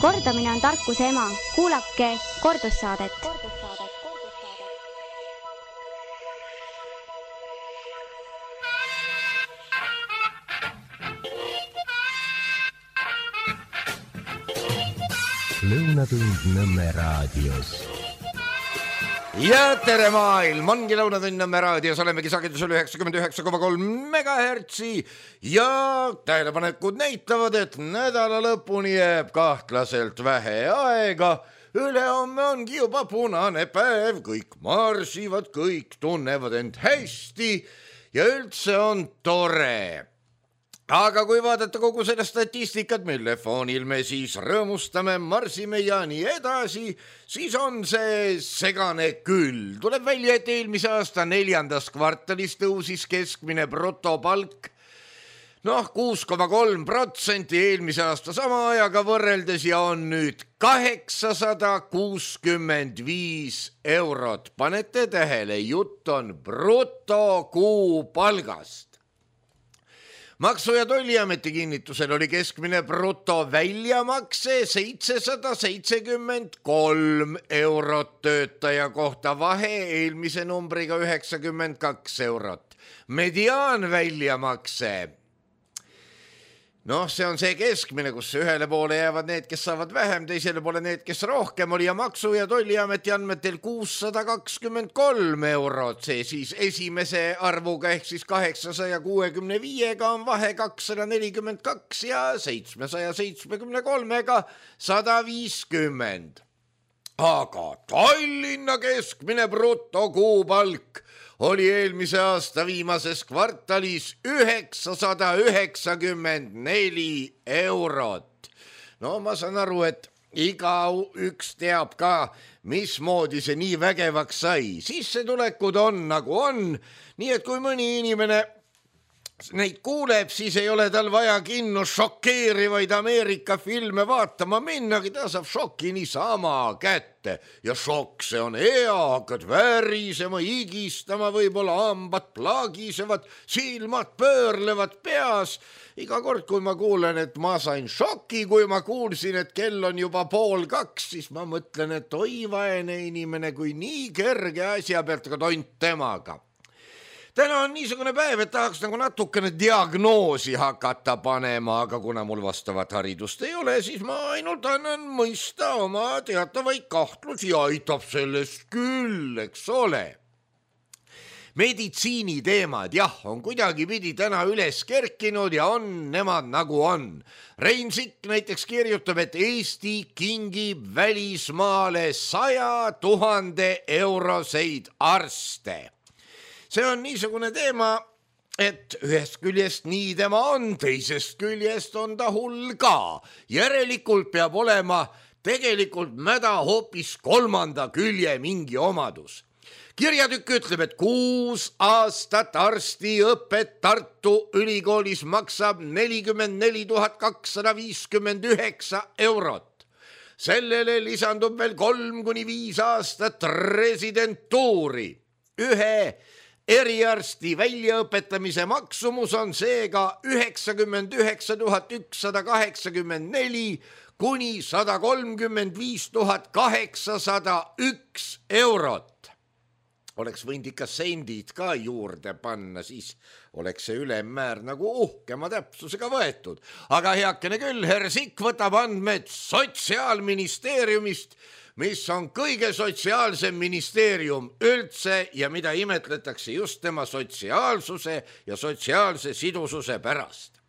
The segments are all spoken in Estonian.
Kordamine on tarkuse ema. Kuulake kordussaadet. Lõunatund Nõmme raadios. Ja tere maailm, ongi Lõunatund Nõmme raadios, olemegi sagedusel 99,3 megahertsi ja tähelepanekud näitavad, et nädala lõpuni jääb kahtlaselt vähe aega. Ülehomme ongi juba punane päev, kõik marsivad, kõik tunnevad end hästi ja üldse on tore. Aga kui vaadata kogu seda statistikat, mille foonil me siis rõõmustame, marsime ja nii edasi, siis on see segane küll. Tuleb välja, et eelmise aasta 4. kvartalis tõusis keskmine brutopalk 6,3% eelmise aasta sama ajaga võrreldes ja on nüüd 865 eurot. Panete tähele, jutt on brutokuupalgast. Maksu- ja Tolliameti kinnitusel oli keskmine bruto väljamakse 773 eurot töötaja kohta, vahe eelmise numbriga 92 eurot. Mediaan väljamakse, see on see keskmine, kus ühele poole jäävad need, kes saavad vähem, teisele poole need, kes rohkem oli ja Maksu- ja Tolliameti andmetel 623 eurot. See siis esimese arvuga ehk siis 865-ga on vahe 242 ja 773-ga 150. Aga Tallinna keskmine brutokuupalk oli eelmise aasta viimases kvartalis 994 eurot. Ma saan aru, et igaüks teab ka, mismoodi see nii vägevaks sai. Sissetulekud on nagu on, nii et kui mõni inimene neid kuuleb, siis ei ole tal vaja kinno šokeerivaid Ameerika filme vaatama minnagi, ta saab šoki niisama kätte. Ja šokk, see on hea, hakkad värisema, higistama, võib-olla hambad plaagisevad, silmad pöörlevad peas. Iga kord, kui ma kuulen, et ma sain šoki, kui ma kuulsin, et kell on juba 1:30, siis ma mõtlen, et oi vaene inimene, kui nii kerge asja pealt ka tont temaga. Täna on niisugune päev, et tahaks nagu natukene diagnoosi hakata panema, aga kuna mul vastavat haridust ei ole, siis ma ainult annan mõista oma teatavaid kahtlusi ja aitab sellest küll, eks ole. Meditsiini teemad, on kuidagi pidi täna üles kerkinud ja on nemad nagu on. Rein Sikk näiteks kirjutab, et Eesti kingib välismaale 100 000 euroseid arste. See on niisugune teema, et ühest küljest nii tema on, teisest küljest on ta hull ka. Järelikult peab olema tegelikult mäda hoopis 3. külje mingi omadus. Kirjatükk ütleb, et 6 aastat arstiõpet Tartu ülikoolis maksab 44 259 eurot. Sellele lisandub veel 3-5 aastat residentuuri. Ühe eriarsti väljaõpetamise maksumus on seega 99 184 kuni 135 801 eurot. Oleks võinud ikka sendid ka juurde panna, siis oleks see ülemmäär nagu uhkema täpsusega võetud. Aga heakene küll, herr Sikk võtab andmed Sotsiaalministeeriumist, mis on kõige sotsiaalsem ministeerium üldse ja mida imetletakse just tema sotsiaalsuse ja sotsiaalse sidususe pärast.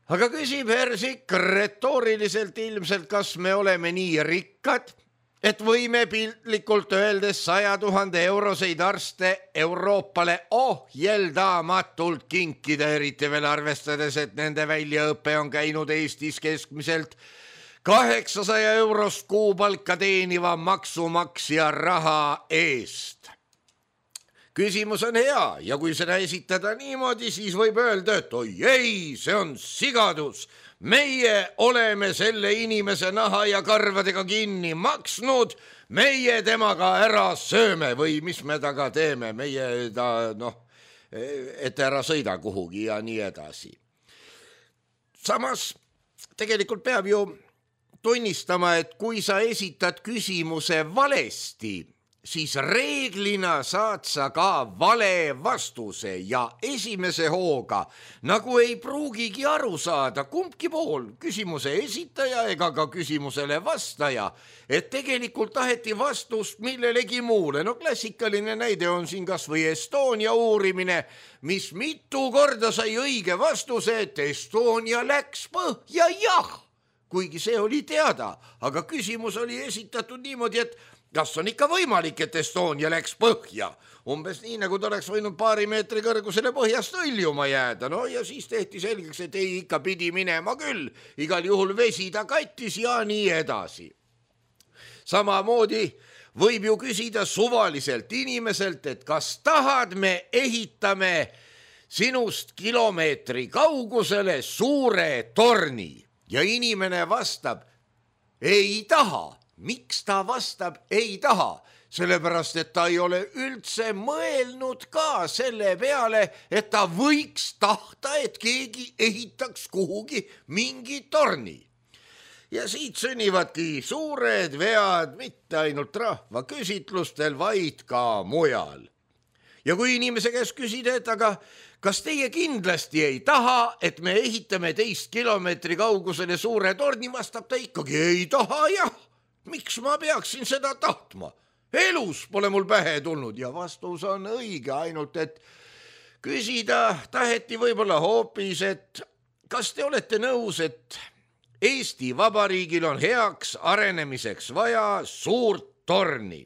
Aga küsib herr Sikk retooriliselt ilmselt, kas me oleme nii rikkad, et võime piltlikult öeldes 100 000 euroseid arste Euroopale ohjeldamatult kinkida, eriti veel arvestades, et nende väljaõpe on käinud Eestis keskmiselt 800 eurost kuupalka teeniva maksumaksja raha eest. Küsimus on hea ja kui seda esitada niimoodi, siis võib öelda, et oi ei, see on sigadus. Meie oleme selle inimese naha ja karvadega kinni maksnud, meie temaga ära sööme või mis me taga teeme, meie ta, et ära sõida kuhugi ja nii edasi. Samas tegelikult peab ju tunnistama, et kui sa esitad küsimuse valesti, siis reeglina saad sa ka vale vastuse ja esimese hooga nagu ei pruugigi aru saada kumbki pool, küsimuse esitaja ega ka küsimusele vastaja, et tegelikult taheti vastust millelegi muule. No klassikaline näide on siin kas või Estonia uurimine, mis mitu korda sai õige vastuse, et Estonia läks põhja, jah, kuigi see oli teada, aga küsimus oli esitatud niimoodi, et kas on ikka võimalik, et Estonia läks põhja? Umbes nii, nagu ta oleks võinud paari meetri kõrgusele põhjast hõljuma jääda. No ja siis tehti selgeks, et ei, ikka pidi minema küll. Igal juhul vesi ta kattis ja nii edasi. Samamoodi võib ju küsida suvaliselt inimeselt, et kas tahad, me ehitame sinust kilomeetri kaugusele suure torni. Ja inimene vastab, ei taha. Miks ta vastab, ei taha? Sellepärast, et ta ei ole üldse mõelnud ka selle peale, et ta võiks tahta, et keegi ehitaks kuhugi mingi torni. Ja siit sünnivadki suured vead mitte ainult rahvaküsitlustel, vaid ka mujal. Ja kui inimese käest küsida, et aga kas teie kindlasti ei taha, et me ehitame 10 kilomeetri kaugusele suure torni, vastab ta ikkagi, ei taha, jah. Miks ma peaksin seda tahtma? Elus pole mul pähe tulnud ja vastus on õige, ainult et küsida taheti võib-olla hoopis, et kas te olete nõus, et Eesti Vabariigil on heaks arenemiseks vaja suurt torni,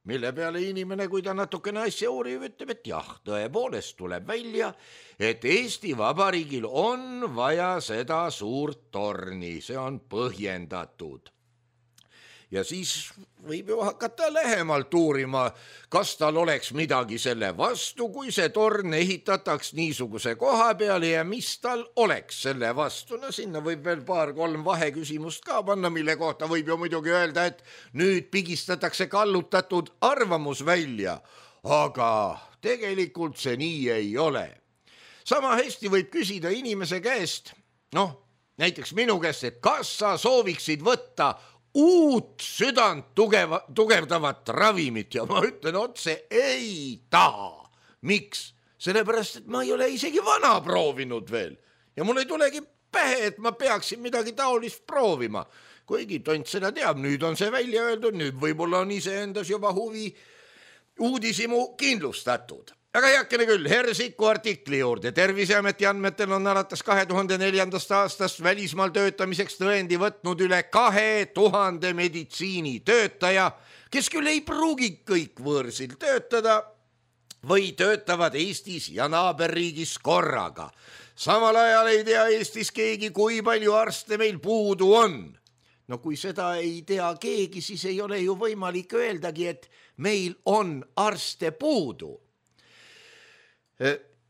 mille peale inimene, kui ta natukene asja uurib, ütleb, et jah, tõepoolest tuleb välja, et Eesti Vabariigil on vaja seda suurt torni, see on põhjendatud. Ja siis võib ju hakata lähemalt uurima, kas tal oleks midagi selle vastu, kui see torn ehitataks niisuguse koha peale ja mis tal oleks selle vastu. No sinna võib veel 2-3 vaheküsimust ka panna, mille kohta võib ju muidugi öelda, et nüüd pigistatakse kallutatud arvamus välja, aga tegelikult see nii ei ole. Sama hästi võib küsida inimese käest, näiteks minu käest, et kas sa sooviksid võtta uut südant tugevdavat ravimit ja ma ütlen otse, ei taha. Miks? Sellepärast, et ma ei ole isegi vana proovinud veel ja mul ei tulegi pähe, et ma peaksin midagi taolist proovima. Kuigi tont seda teab, nüüd on see välja öeldud, nüüd võib-olla on iseendas juba huvi uudisimu kindlustatud. Aga heakene küll, Hersiku artikli juurde. Terviseameti andmetel on alates 2004. aastast välismaal töötamiseks tõendi võtnud üle 2000 meditsiinitöötaja, kes küll ei pruugi kõik võõrsil töötada või töötavad Eestis ja naaberriigis korraga. Samal ajal ei tea Eestis keegi, kui palju arste meil puudu on. No kui seda ei tea keegi, siis ei ole ju võimalik öeldagi, et meil on arste puudu.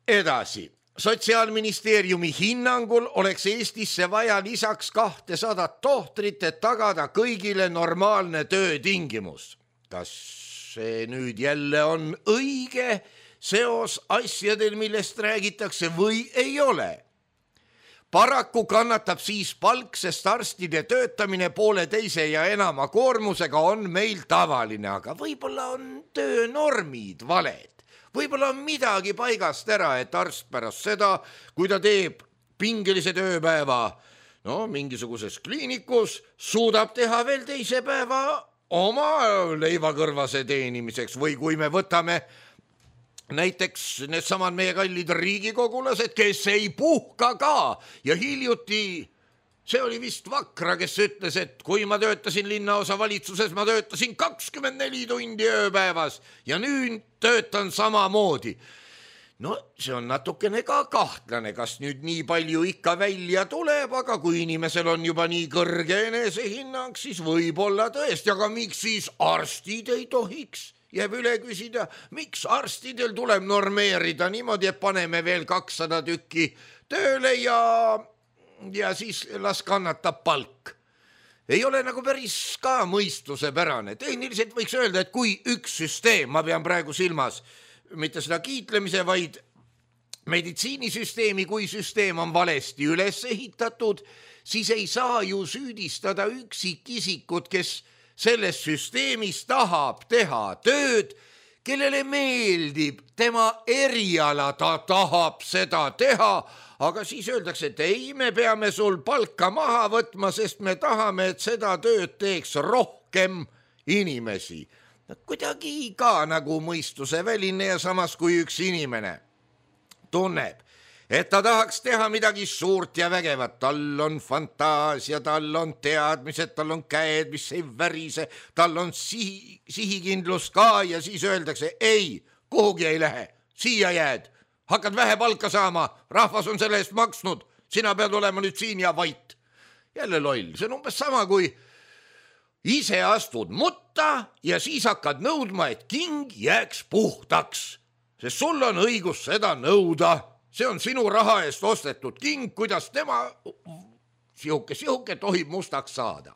Edasi, Sotsiaalministeeriumi hinnangul oleks Eestisse vaja lisaks 200 tohtrit, et tagada kõigile normaalne töötingimus. Kas see nüüd jälle on õige seos asjadel, millest räägitakse või ei ole? Paraku kannatab siis palk, sest arstide töötamine 1,5 ja enama koormusega on meil tavaline, aga võib-olla on töönormid valed. Võib-olla on midagi paigast ära, et arst pärast seda, kui ta teeb pingelise tööpäeva mingisuguses kliinikus, suudab teha veel teise päeva oma leivakõrvase teenimiseks või kui me võtame näiteks needsamad meie kallid riigikogulased, kes ei puhka ka ja hiljuti see oli vist Vakra, kes ütles, et kui ma töötasin linnaosa valitsuses, ma töötasin 24 tundi ööpäevas ja nüüd töötan samamoodi. No see on natukene ka kahtlane, kas nüüd nii palju ikka välja tuleb, aga kui inimesel on juba nii kõrge enesehinnang, siis võib-olla tõesti, aga miks siis arstid ei tohiks? Jääb üle küsida, miks arstidel tuleb normeerida niimoodi, et paneme veel 200 tükki tööle ja siis las kannatab palk. Ei ole nagu päris ka mõistusepärane. Tehniliselt võiks öelda, et kui üks süsteem, ma pean praegu silmas mitte seda kiitlemise, vaid meditsiinisüsteemi, kui süsteem on valesti üles ehitatud, siis ei saa ju süüdistada üksikisikut, kes selles süsteemis tahab teha tööd, kellele meeldib tema eriala, ta tahab seda teha, aga siis öeldakse, et ei, me peame sul palka maha võtma, sest me tahame, et seda tööd teeks rohkem inimesi. Kuidagi ka nagu mõistuseväline ja samas kui üks inimene tunneb, et ta tahaks teha midagi suurt ja vägevat, tal on fantaasia, tal on teadmised, tal on käed, mis ei värise, tal on sihikindlus ka ja siis öeldakse, ei, kuhugi ei lähe, siia jääd, hakkad vähe palka saama, rahvas on selle eest maksnud, sina pead olema nüüd siin ja vait. Jälle loll, see on umbes sama, kui ise astud mutta ja siis hakkad nõudma, et king jääks puhtaks, sest sul on õigus seda nõuda. See on sinu raha eest ostetud king, kuidas tema sihuke tohib mustaks saada.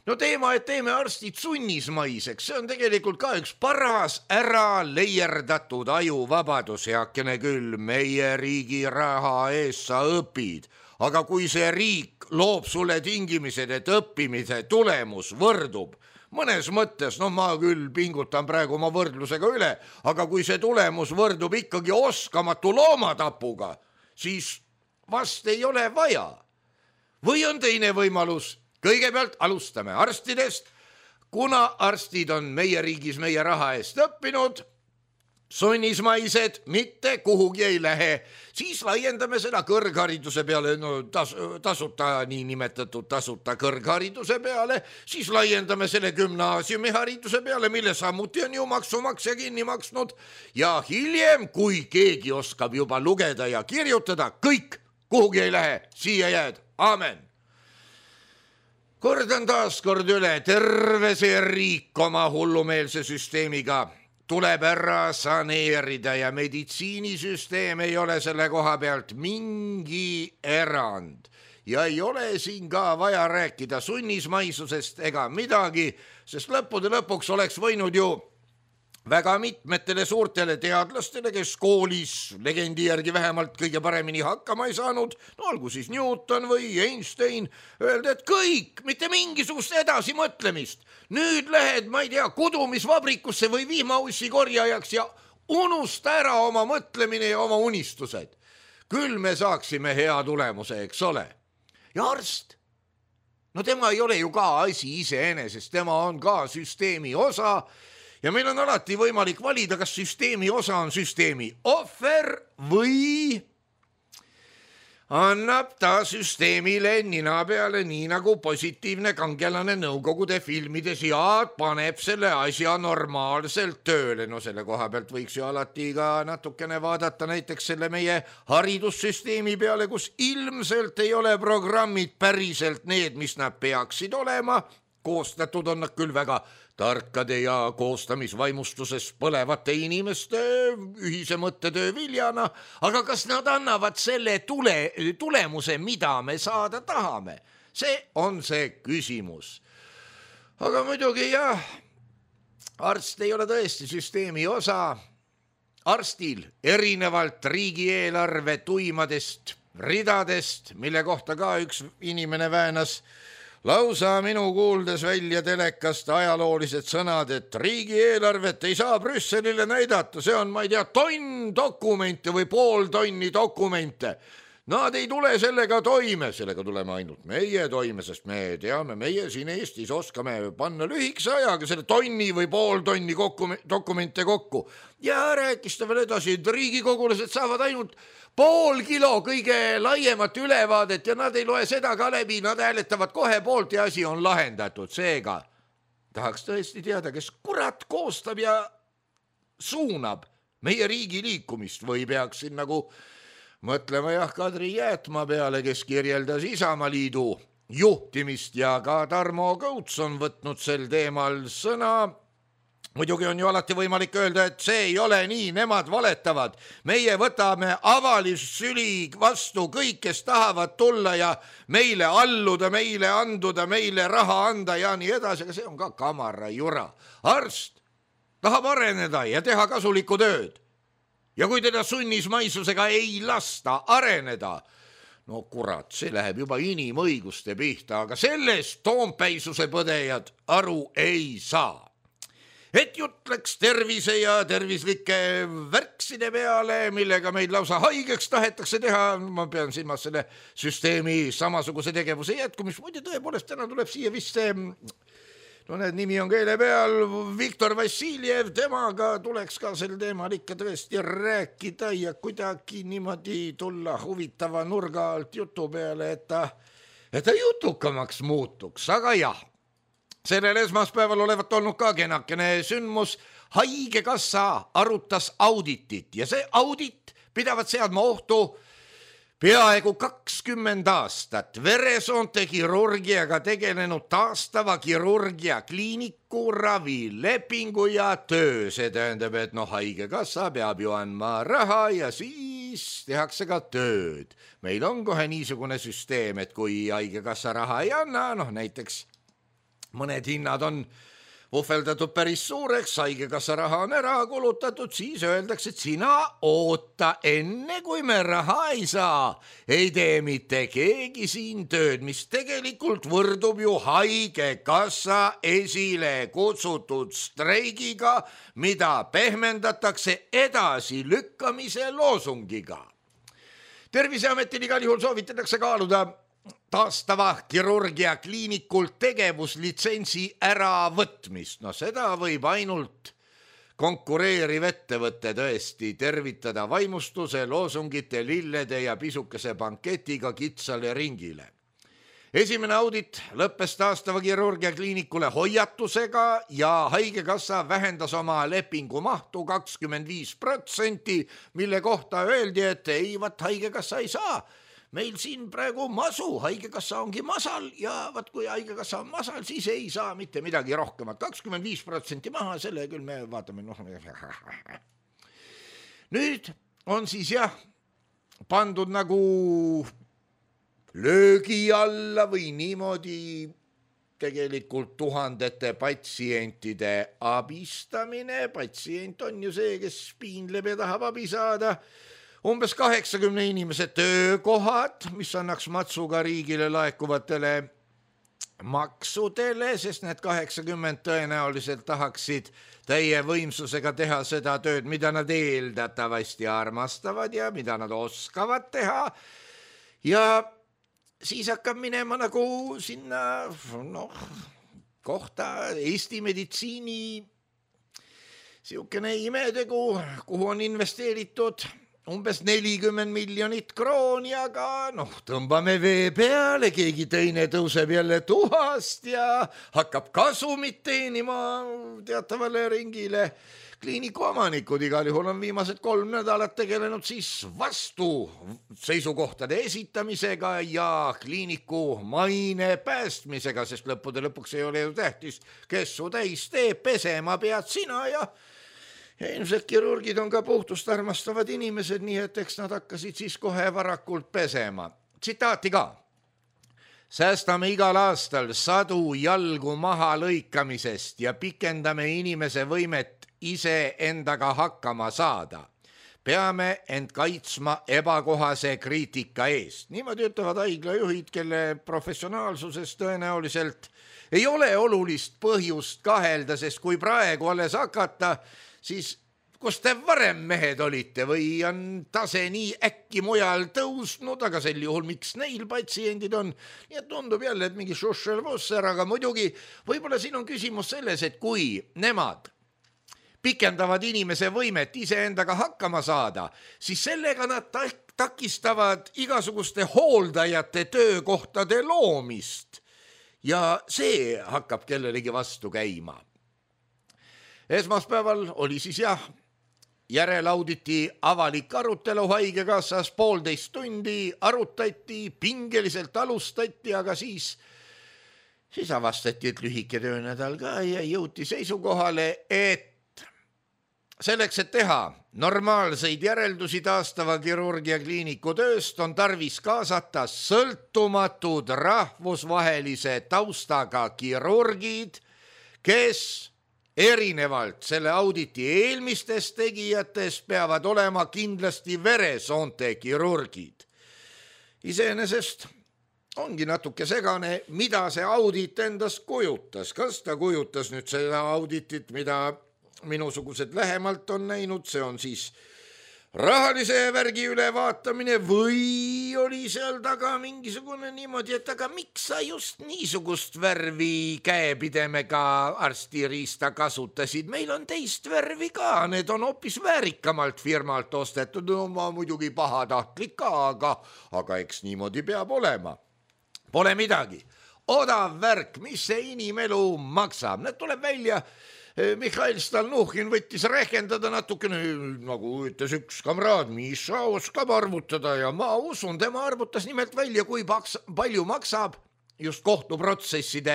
No teema, et teeme arstid sunnismaiseks, see on tegelikult ka üks paras ära leierdatud ajuvabadus, heakene küll, meie riigi raha eest sa õpid, aga kui see riik loob sulle tingimised, et õppimise tulemus võrdub, mõnes mõttes, ma küll pingutan praegu oma võrdlusega üle, aga kui see tulemus võrdub ikkagi oskamatu loomatapuga, siis vast ei ole vaja. Või on teine võimalus, kõigepealt alustame arstidest, kuna arstid on meie riigis meie raha eest õppinud, sunnismaised, mitte kuhugi ei lähe, siis laiendame seda kõrghariduse peale, tasuta, niinimetatud tasuta kõrghariduse peale, siis laiendame selle gümnaasiumihariduse peale, mille samuti on ju maksumaksja kinni maksnud ja hiljem, kui keegi oskab juba lugeda ja kirjutada, kõik kuhugi ei lähe, siia jääd, aamen. Kordan taas kord üle, terve see riik oma hullumeelse süsteemiga tuleb ära saneerida ja meditsiinisüsteem ei ole selle koha pealt mingi erand. Ja ei ole siin ka vaja rääkida sunnismaisusest ega midagi, sest lõppude lõpuks oleks võinud ju väga mitmetele suurtele teadlastele, kes koolis legendi järgi vähemalt kõige paremini hakkama ei saanud, olgu siis Newton või Einstein, öelda, et kõik, mitte mingisugust edasimõtlemist. Nüüd lähed, ma ei tea, kudumisvabrikusse või vihmaussi korjajaks ja unusta ära oma mõtlemine ja oma unistused. Küll me saaksime hea tulemuse, eks ole. Ja arst, tema ei ole ju ka asi iseenesest, tema on ka süsteemi osa ja meil on alati võimalik valida, kas süsteemi osa on süsteemi ohver või annab ta süsteemile nina peale, nii nagu positiivne kangelane Nõukogude filmides ja paneb selle asja normaalselt tööle. Selle koha pealt võiks ju alati ka natukene vaadata näiteks selle meie haridussüsteemi peale, kus ilmselt ei ole programmid päriselt need, mis nad peaksid olema. Koostatud on nad küll väga tarkade ja koostamisvaimustuses põlevate inimeste ühise mõttetöö viljana, aga kas nad annavad selle tulemuse, mida me saada tahame? See on see küsimus. Aga muidugi jah, arst ei ole tõesti süsteemi osa. Arstil erinevalt riigieelarve tuimadest ridadest, mille kohta ka üks inimene väänas, lausa minu kuuldes välja telekast ajaloolised sõnad, et riigieelarvet ei saa Brüsselile näidata, see on, ma ei tea, tonn dokumente või pool tonni dokumente. Nad ei tule sellega toime, sellega tuleme ainult meie toime, sest me teame, meie siin Eestis oskame panna lühikese ajaga selle tonni või pool tonni dokumente kokku. Ja rääkis ta veel edasi, et riigikogulased saavad ainult pool kilo kõige laiemat ülevaadet ja nad ei loe seda ka läbi, nad hääletavad kohe poolt ja asi on lahendatud. Seega tahaks tõesti teada, kes kurat koostab ja suunab meie riigi liikumist või peaks siin nagu mõtlema jah Kadri Jäätma peale, kes kirjeldas Isamaaliidu juhtimist ja ka Tarmo Kõuts on võtnud sel teemal sõna. Muidugi on ju alati võimalik öelda, et see ei ole nii, nemad valetavad. Meie võtame avalisüli vastu kõik, kes tahavad tulla ja meile alluda, meile anduda, meile raha anda ja nii edasi, aga see on ka kamara jura. Arst tahab areneda ja teha kasulikku tööd. ja kui teda sunnismaisusega ei lasta areneda, no kurat, see läheb juba inimõiguste pihta, aga sellest toompäisuse põdejad aru ei saa. Et jutt läks tervise ja tervislike värkside peale, millega meid lausa haigeks tahetakse teha, ma pean silmas selle süsteemi samasuguse tegevuse jätkumist, muide tõepoolest täna tuleb siia vist see, no need nimi on keele peal, Viktor Vassiljev, temaga tuleks ka sel teemal ikka tõesti rääkida ja kuidagi niimoodi tulla huvitava nurga alt jutu peale, et ta jutukamaks muutuks, aga jah. Sellel esmaspäeval olevat olnud ka kenakene sündmus. Haigekassa arutas auditit ja see audit pidavat seadma ohtu peaaegu 20 aastat veresoonte kirurgiaga tegelenud taastava kirurgia kliiniku ravilepingu ja töö. See tähendab, et haigekassa peab ju andma raha ja siis tehakse ka tööd. Meil on kohe niisugune süsteem, et kui haigekassa raha ei anna, näiteks mõned hinnad on vuhveldatud päris suureks, haigekassa raha on ära kulutatud, siis öeldakse, et sina oota enne, kui me raha ei saa. Ei tee mitte keegi siin tööd, mis tegelikult võrdub ju haigekassa esile kutsutud streigiga, mida pehmendatakse edasi lükkamise loosungiga. Terviseametil igal juhul soovitatakse kaaluda taastava kirurgia kliinikult tegevuslitsentsi äravõtmist. Seda võib ainult konkureeriv ettevõte tõesti tervitada vaimustuse, loosungite, lillede ja pisukese banketiga kitsale ringile. Esimene audit lõppes taastava kirurgia kliinikule hoiatusega ja haigekassa vähendas oma lepingu mahtu 25%, mille kohta öeldi, et ei, haigekassa ei saa. Meil siin praegu masu, haigekassa ongi masal ja kui haigekassa on masal, siis ei saa mitte midagi rohkemat. 25% maha, selle küll me vaatame. Nüüd on siis pandud nagu löögi alla või niimoodi tegelikult tuhandete patsientide abistamine. Patsient on ju see, kes piinleb ja tahab abi saada. Umbes 80 inimese töökohad, mis annaks matsuga riigile laekuvatele maksudele, sest need 80 tõenäoliselt tahaksid täie võimsusega teha seda tööd, mida nad eeldatavasti armastavad ja mida nad oskavad teha. Ja siis hakkab minema nagu sinna kohta Eesti meditsiini siukene imetegu, kuhu on investeeritud umbes 40 miljonit krooni, aga tõmbame vee peale, keegi teine tõuseb jälle tuhast ja hakkab kasumit teenima teatavale ringile. Kliiniku omanikud igal juhul on viimased 3 nädalat tegelenud siis vastu seisukohtade esitamisega ja kliiniku maine päästmisega, sest lõppude lõpuks ei ole ju tähtis, kes su täis teeb, pesema pead sina ja ilmselt kirurgid on ka puhtust armastavad inimesed, nii et eks nad hakkasid siis kohe varakult pesema. Tsitaati ka. Säästame igal aastal 100 jalgu maha lõikamisest ja pikendame inimese võimet ise endaga hakkama saada. Peame end kaitsma ebakohase kriitika eest. Niimoodi ütlevad haiglajuhid, kelle professionaalsuses tõenäoliselt ei ole olulist põhjust kahelda, sest kui praegu alles hakata, siis kus te varem mehed olite või on tase nii äkki mujal tõusnud, aga sel juhul miks neil patsiendid on? Nii et tundub jälle, et mingi šuššel-vusser, aga muidugi võib-olla siin on küsimus selles, et kui nemad pikendavad inimese võimet iseendaga hakkama saada, siis sellega nad takistavad igasuguste hooldajate töökohtade loomist ja see hakkab kellelegi vastu käima. Esmaspäeval oli siis järelauditi avalik arutelu haigekassas, 1,5 tundi arutati, pingeliselt alustati, aga siis avastati, et lühike töönädal ka ja jõuti seisukohale, et selleks, et teha normaalseid järeldusi taastava kirurgia kliiniku tööst, on tarvis kaasata sõltumatud rahvusvahelise taustaga kirurgid, kes erinevalt selle auditi eelmistest tegijatest peavad olema kindlasti veresoonte kirurgid. Iseenesest ongi natuke segane, mida see audit endast kujutas. Kas ta kujutas nüüd seda auditit, mida minusugused lähemalt on näinud, see on siis rahalise värgi ülevaatamine või oli seal taga mingisugune niimoodi, et aga miks sa just niisugust värvi käepidemega arstiriista kasutasid? Meil on teist värvi ka, need on hoopis väärikamalt firmalt ostetud, no ma muidugi pahatahtlik ka, aga eks niimoodi peab olema. Pole midagi. Odav värk, mis see inimelu maksab? Need tuleb välja. Mihhail Stalnuhhin võttis rehkendada natukene, nagu ütles üks kamraad, Miša oskab arvutada ja ma usun, tema arvutas nimelt välja, kui palju maksab just kohtuprotsesside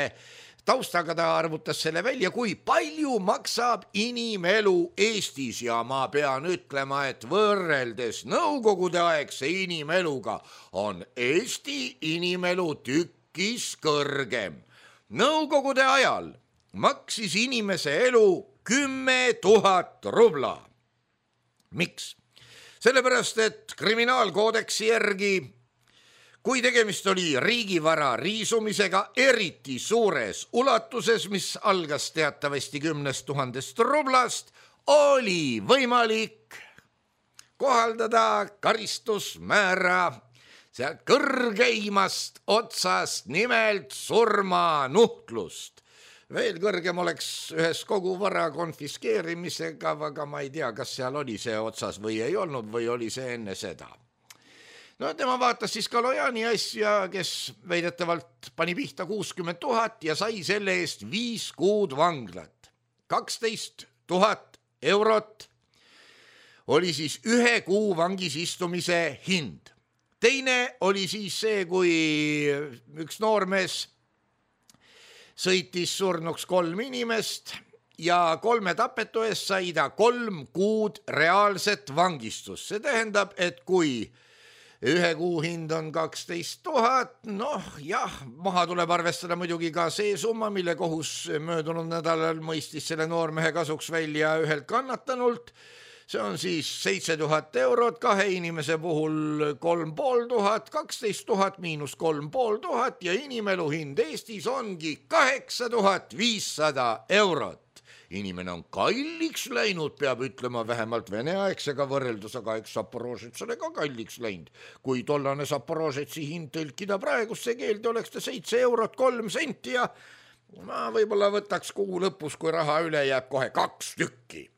taustaga, ta arvutas selle välja, kui palju maksab inimelu Eestis ja ma pean ütlema, et võrreldes nõukogude aegse inimeluga on Eesti inimelu tükis kõrgem. Nõukogude ajal maksis inimese elu 10 000 rubla. Miks? Sellepärast, et kriminaalkoodeksi järgi, kui tegemist oli riigivara riisumisega eriti suures ulatuses, mis algas teatavasti 10 000 rublast, oli võimalik kohaldada karistusmäära sealt kõrgeimast otsast, nimelt surmanuhtlust. Veel kõrgem oleks ühes kogu vara konfiskeerimisega, aga ma ei tea, kas seal oli see otsas või ei olnud või oli see enne seda. No tema vaatas siis Kalojani asja, kes väidetavalt pani pihta 60 000 ja sai selle eest 5 kuud vanglat. 12 000 eurot oli siis 1 kuu vangis istumise hind. Teine oli siis see, kui üks noormees sõitis surnuks 3 inimest ja 3 tapetu eest sai ta 3 kuud reaalset vangistust. See tähendab, et kui 1 kuu hind on 12 000, noh jah, maha tuleb arvestada muidugi ka see summa, mille kohus möödunud nädalal mõistis selle noormehe kasuks välja ühelt kannatanult. See on siis 7 000 eurot, 2 inimese puhul 3500, 12 000 miinus 3500 ja inimelu hind Eestis ongi 8500 eurot. Inimene on kalliks läinud, peab ütlema vähemalt veneaegsega võrreldus, aga eks Zaporožetsale ka kalliks läinud. Kui tollane Zaporožetsi hind tõlkida praegusse keelde, oleks ta 7 eurot 3 senti ja ma võib-olla võtaks kuu lõpus, kui raha üle jääb, kohe 2 tükki.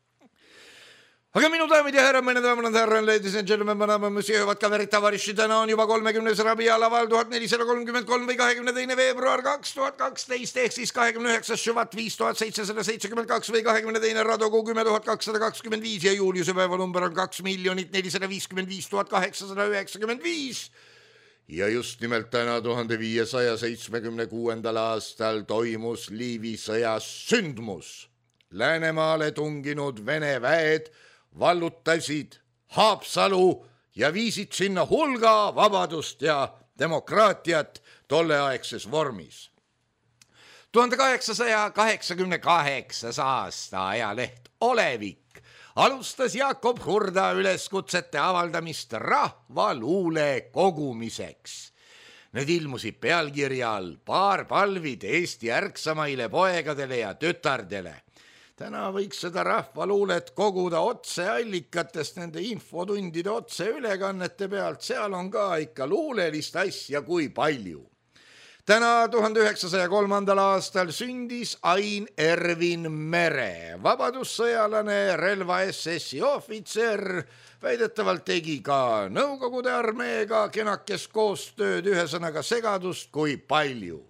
Aga minu daamid ja härra, mõne daamad ja härra, ladies and gentlemen, mõnama mõsiöövad kaverid tavariši, täna on juba 30. rabi alaval 1433 või 22. veebruar 2012 ehk siis 29. šuvat 5772 või 22. radogu 10225 ja Juliuse päeva number on 2 455 895 ja just nimelt täna 1576. aastal toimus Liivi sõjas sündmus. Läänemaale tunginud Vene väed vallutasid Haapsalu ja viisid sinna hulga vabadust ja demokraatiat tolleaegses vormis. 1888. aasta ajaleht Olevik alustas Jakob Hurda üleskutsete avaldamist rahvaluule kogumiseks. Need ilmusid pealkirja all Paar palvid Eesti ärksamaile poegadele ja tütardele. Täna võiks seda rahvaluulet koguda otseallikatest nende infotundide otseülekannete pealt, seal on ka ikka luulelist asja kui palju. Täna 1903. aastal sündis Ain Ervin Mere, vabadussõjalane, relva SS-i ohvitser, väidetavalt tegi ka Nõukogude armeega kenakes koostööd, ühesõnaga segadust kui palju.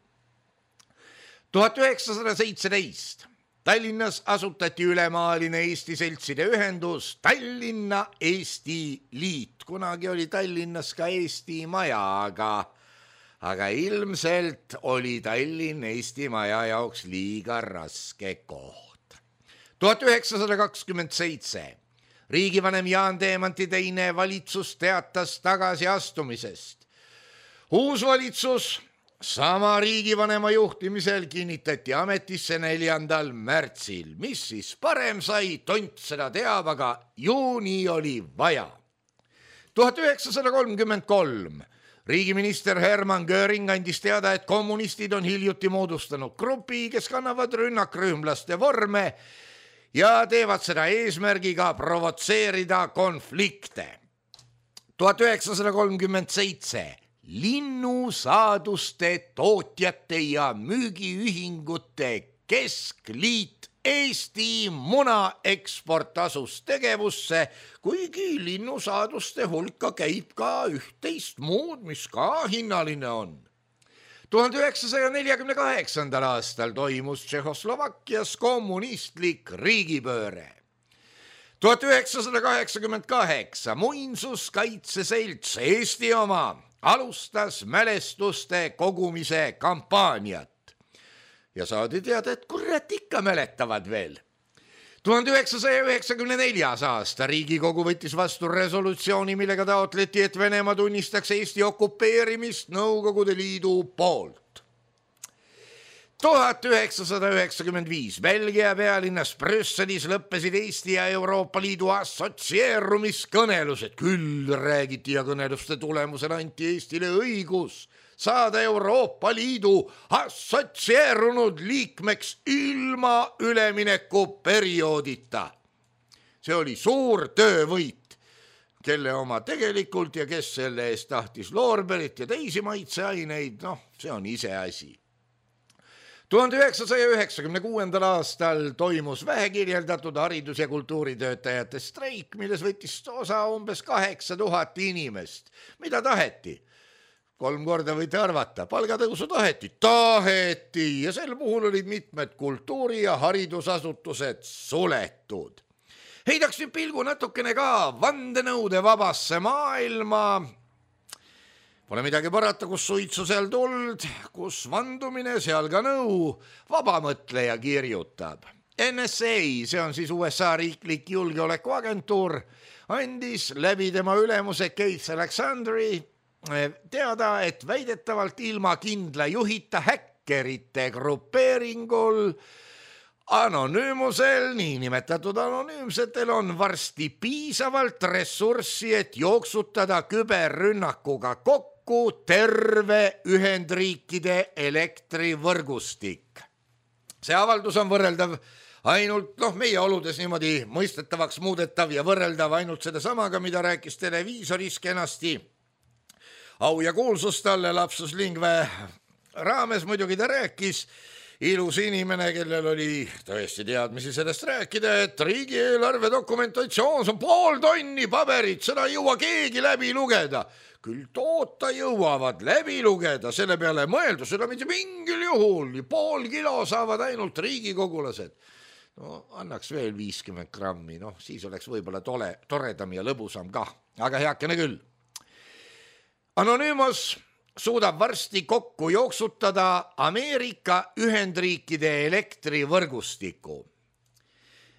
1917 Tallinnas asutati ülemaaline Eesti seltside ühendus Tallinna Eesti Liit. Kunagi oli Tallinnas ka Eesti Maja, aga ilmselt oli Tallinn Eesti Maja jaoks liiga raske koht. 1927 riigivanem Jaan Teemanti teine valitsus teatas tagasiastumisest. Uus valitsus sama riigivanema juhtimisel kinnitati ametisse 4. märtsil, mis siis parem sai, tont seda teab, aga ju nii oli vaja. 1933 riigiminister Hermann Göring andis teada, et kommunistid on hiljuti moodustanud grupi, kes kannavad rünnakrühmlaste vorme ja teevad seda eesmärgiga provotseerida konflikte. 1937 linnusaaduste tootjate ja müügiühingute keskliit Eesti munaeksport asus tegevusse, kuigi linnusaaduste hulka käib ka üht-teist muud, mis ka hinnaline on. 1948. aastal toimus Tšehhoslovakkias kommunistlik riigipööre. 1988 muinsuskaitseselts Eesti oma alustas mälestuste kogumise kampaaniat ja saadi teada, et kurat ikka mäletavad veel. 1994. aasta Riigikogu võttis vastu resolutsiooni, millega taotleti, et Venemaa tunnistaks Eesti okupeerimist Nõukogude Liidu poolt. 1995 Belgia pealinnas Brüsselis lõppesid Eesti ja Euroopa Liidu assotsieerumiskõnelused. Küll räägiti ja kõneluste tulemusel anti Eestile õigus saada Euroopa Liidu assotsieerunud liikmeks ilma üleminekuperioodita. See oli suur töövõit, kelle oma tegelikult ja kes selle eest tahtis loorberit ja teisi maitseaineid, see on iseasi. 1996. aastal toimus vähekirjeldatud haridus- ja kultuuritöötajate streik, milles võttis osa umbes 8000 inimest. Mida taheti? 3 korda võite arvata, palgatõusu taheti ja sel puhul olid mitmed kultuuri- ja haridusasutused suletud. Heidaks nüüd pilgu natukene ka vandenõude vabasse maailma. Pole midagi parata, kus suitsu seal tuld, kus vandumine seal ka nõu, vabamõtleja kirjutab. NSA, see on siis USA riiklik julgeolekuagentuur, andis läbi tema ülemuse Keith Alexandri teada, et väidetavalt ilma kindla juhita häkkerite grupeeringul anonüümusel, niinimetatud anonüümsetel on varsti piisavalt ressurssi, et jooksutada küberrünnakuga kokku terve Ühendriikide elektrivõrgustik. See avaldus on võrreldav ainult, meie oludes niimoodi mõistetavaks muudetav ja võrreldav ainult seda samaga, mida rääkis televiisoris kenasti. Au ja kuulsus talle lapsus lingve raames muidugi ta rääkis, ilus inimene, kellel oli tõesti teadmisi sellest rääkida, et riigieelarve dokumentatsioon on 5 tonni paberit, seda ei jõua keegi läbi lugeda. Küll toota jõuavad läbi lugeda, selle peale mõelda, seda mitte mingil juhul, 5 kilo saavad ainult riigikogulased. Annaks veel 50 grammi, siis oleks võib-olla toredam ja lõbusam kah, aga heakene küll. Anonymous suudab varsti kokku jooksutada Ameerika Ühendriikide elektrivõrgustiku.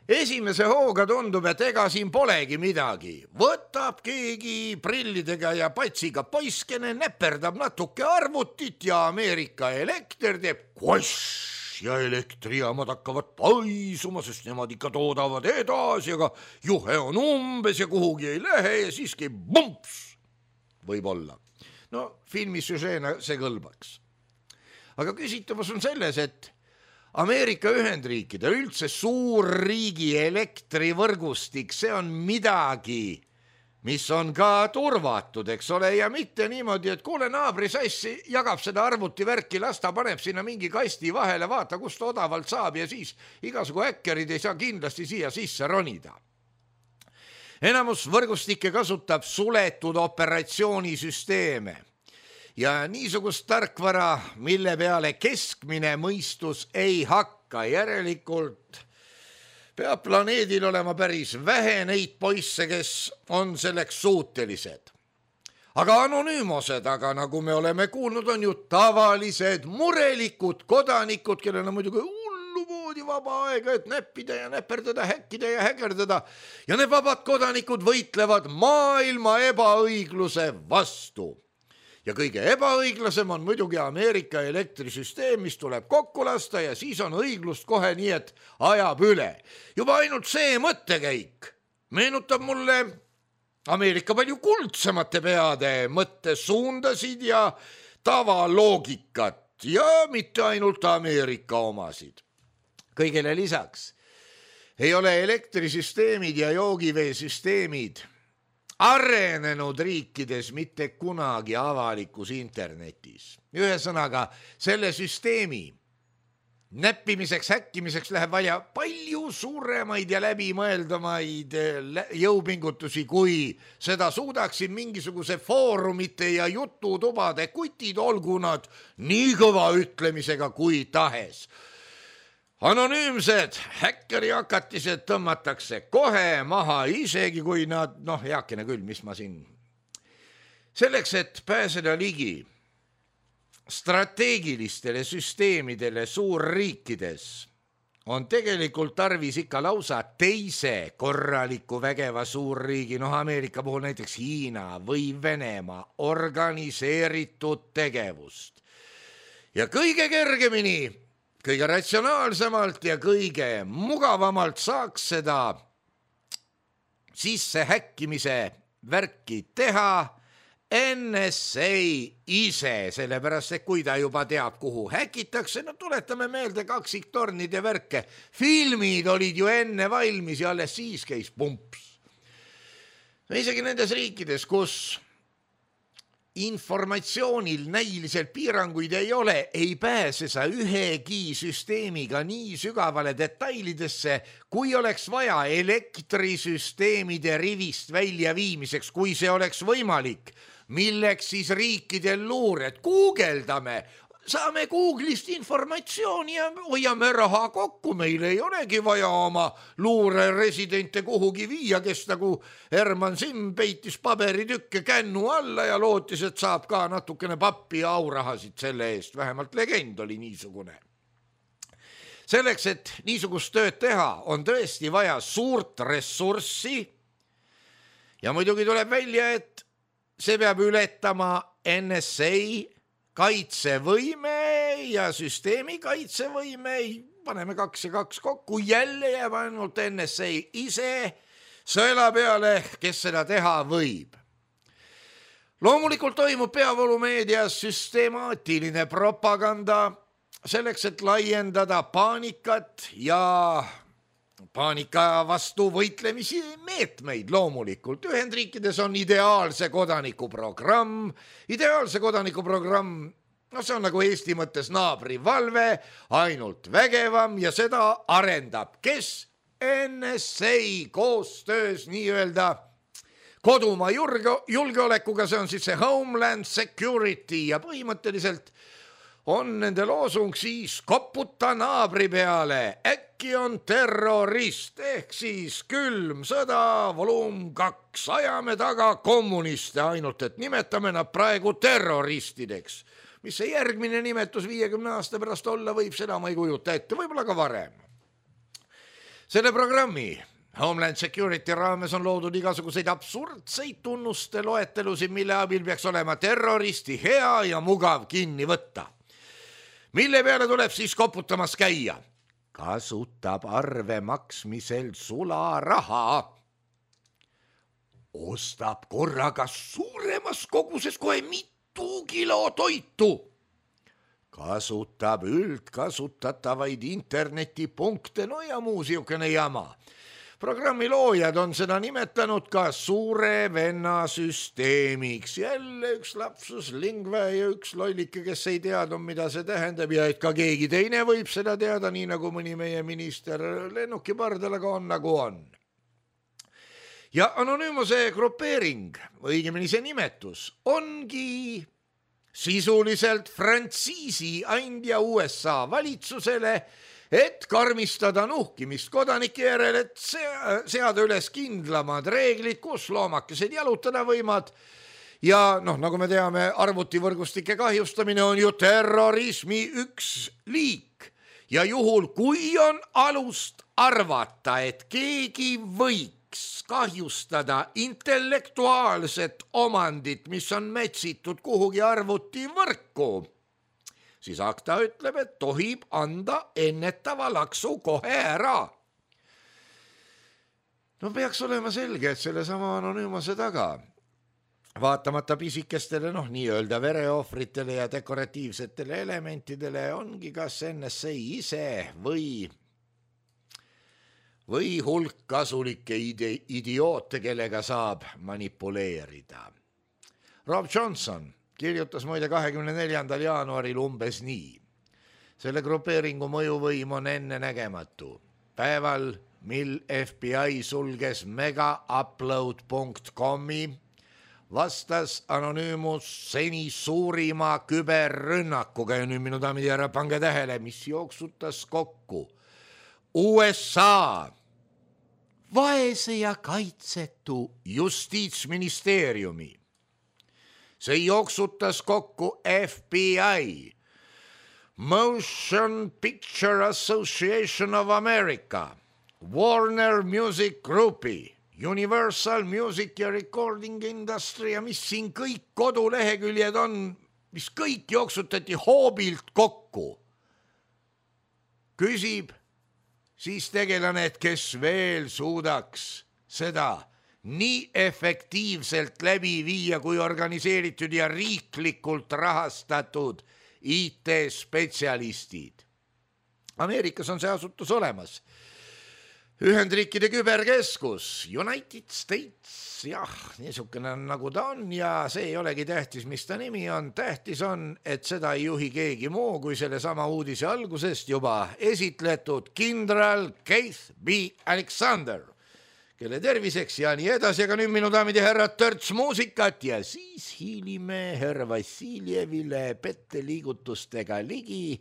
Esimese hooga tundub, et ega siin polegi midagi. Võtab keegi prillidega ja patsiga poiskene, näperdab natuke arvutit ja Ameerika elekter teeb koss ja elektrijaamad hakkavad paisuma, sest nemad ikka toodavad edasi, aga juhe on umbes ja kuhugi ei lähe ja siiski bumps võib-olla. Filmi süžeena see kõlbaks. Aga küsitavus on selles, et Ameerika Ühendriikide üldse suur riigi elektrivõrgustik, see on midagi, mis on ka turvatud, eks ole, ja mitte niimoodi, et kuule, naabri sassi jagab seda arvutivärki, las ta paneb sinna mingi kasti vahele, vaata, kust odavalt saab ja siis igasugu häkkerid ei saa kindlasti siia sisse ronida. Enamus võrgustikke kasutab suletud operatsioonisüsteeme ja niisugust tarkvara, mille peale keskmine mõistus ei hakka, järelikult peab planeedil olema päris vähe neid poisse, kes on selleks suutelised. Aga anonüümosed, aga nagu me oleme kuulnud, on ju tavalised murelikud kodanikud, kellel on muidugi hullumoodi vaba aega, et näppida ja näperdada, häkkida ja häkerdada. Ja need vabad kodanikud võitlevad maailma ebaõigluse vastu. Ja kõige ebaõiglasem on muidugi Ameerika elektrisüsteem, mis tuleb kokku lasta ja siis on õiglust kohe nii, et ajab üle. Juba ainult see mõttekäik meenutab mulle Ameerika palju kuldsemate peade mõttesuundasid ja tavaloogikat ja mitte ainult Ameerika omasid. Kõigele lisaks ei ole elektrisüsteemid ja joogiveesüsteemid arenenud riikides mitte kunagi avalikus internetis. Ühesõnaga, selle süsteemi näppimiseks, häkkimiseks läheb vaja palju suuremaid ja läbimõeldamaid jõupingutusi, kui seda suudaksid mingisuguse foorumite ja jututubade kutid, olgu nad nii kõva ütlemisega kui tahes. Anonüümsed häkkeriakatised tõmmatakse kohe maha, isegi kui nad, heakene küll, mis ma siin. Selleks, et pääseda ligi strateegilistele süsteemidele suurriikides, on tegelikult tarvis ikka lausa teise korraliku vägeva suurriigi, Ameerika puhul näiteks Hiina või Venemaa organiseeritud tegevust. Ja kõige kergemini, kõige ratsionaalsemalt ja kõige mugavamalt saaks seda sisse häkkimise värki teha NSA ise, sellepärast, et kui ta juba teab, kuhu häkitakse, tuletame meelde kaksiktornide värke. Filmid olid ju enne valmis ja alles siis käis pumps. Isegi nendes riikides, kus informatsioonil näiliselt piiranguid ei ole, ei pääse sa ühegi süsteemiga nii sügavale detailidesse, kui oleks vaja elektrisüsteemide rivist välja viimiseks, kui see oleks võimalik. Milleks siis riikidel luured? Guugeldame, saame Google'ist informatsiooni ja hoiame raha kokku. Meil ei olegi vaja oma luureresidente kuhugi viia, kes nagu Herman Simm peitis paberitükke kännu alla ja lootis, et saab ka natukene pappi ja aurahasid selle eest. Vähemalt legend oli niisugune. Selleks, et niisugust tööd teha, on tõesti vaja suurt ressurssi ja muidugi tuleb välja, et see peab ületama NSA kaitsevõime ja süsteemi kaitsevõime, paneme 2 ja 2 kokku, jälle jääb ainult NSA ise sõela peale, kes seda teha võib. Loomulikult toimub peavoolumeedias süstemaatiline propaganda selleks, et laiendada paanikat ja paanika vastu võitlemisi meetmeid loomulikult. Ühendriikides on ideaalse kodanikuprogramm. Ideaalse kodanikuprogramm, see on nagu Eesti mõttes naabrivalve, ainult vägevam ja seda arendab. Kes? NSA koostöös nii-öelda kodumaa julgeolekuga, see on siis see Homeland Security ja põhimõtteliselt on nende loosung siis koputa naabri peale, äkki on terrorist, ehk siis külm sõda, volum 2, ajame taga kommuniste, ainult et nimetame nad praegu terroristideks. Mis see järgmine nimetus 50 aasta pärast olla võib, seda ma ei kujuta ette, võib-olla ka varem. Selle programmi Homeland Security raames on loodud igasuguseid absurdseid tunnuste loetelusid, mille abil peaks olema terroristi hea ja mugav kinni võtta. Mille peale tuleb siis koputamas käia? Kasutab arve maksmisel sularaha. Ostab korraga suuremas koguses kohe mitu kilo toitu. Kasutab üldkasutatavaid internetipunkte, ja muu siukene jama. Programmi loojad on seda nimetanud ka suure venna süsteemiks. Jälle üks lapsus lingve ja üks lollike, kes ei teadnud, mida see tähendab ja et ka keegi teine võib seda teada, nii nagu mõni meie minister lennuki pardalaga on, nagu on. Ja anonüümuse grupeering, õigemini see nimetus, ongi sisuliselt frantsiisi andja USA valitsusele, et karmistada nuhkimist kodanike järel, et seada üles kindlamad reeglid, kus loomakesed jalutada võimad. Ja nagu me teame, arvutivõrgustike kahjustamine on ju terrorismi üks liik. Ja juhul, kui on alust arvata, et keegi võiks tohiks kahjustada intellektuaalset omandit, mis on metsitud kuhugi arvutivõrku, siis akta ütleb, et tohib anda ennetava laksu kohe ära. No peaks olema selge, et selle sama anonüümase taga, vaatamata pisikestele, nii-öelda vereohvritele ja dekoratiivsetele elementidele ongi kas NSA ise või hulk kasulikke idioote, kellega saab manipuleerida. Rob Johnson kirjutas muide 24. jaanuaril umbes nii. Selle grupeeringu mõjuvõim on ennenägematu. Päeval, mil FBI sulges megaupload.comi, vastas anonüümus seni suurima küberrünnakuga ja nüüd minu daamid ja härrad, pange tähele, mis jooksutas kokku USA vaese ja kaitsetu justiitsministeeriumi. See jooksutas kokku FBI, Motion Picture Association of America, Warner Music Groupi, Universal Music ja Recording Industry ja mis siin kõik koduleheküljed on, mis kõik jooksutati hoobilt kokku. Küsib siis tegelane, et kes veel suudaks seda nii efektiivselt läbi viia kui organiseeritud ja riiklikult rahastatud IT-spetsialistid. Ameerikas on see asutus olemas. Ühendriikide küberkeskus, United States, niisugune nagu ta on ja see ei olegi tähtis, mis ta nimi on. Tähtis on, et seda ei juhi keegi muu kui selle sama uudise algusest juba esitletud kindral Keith B. Alexander, kelle terviseks ja nii edasi, aga nüüd minu daamid ja härrad törts muusikat ja siis hiilime härra Vassiljevile petteliigutustega ligi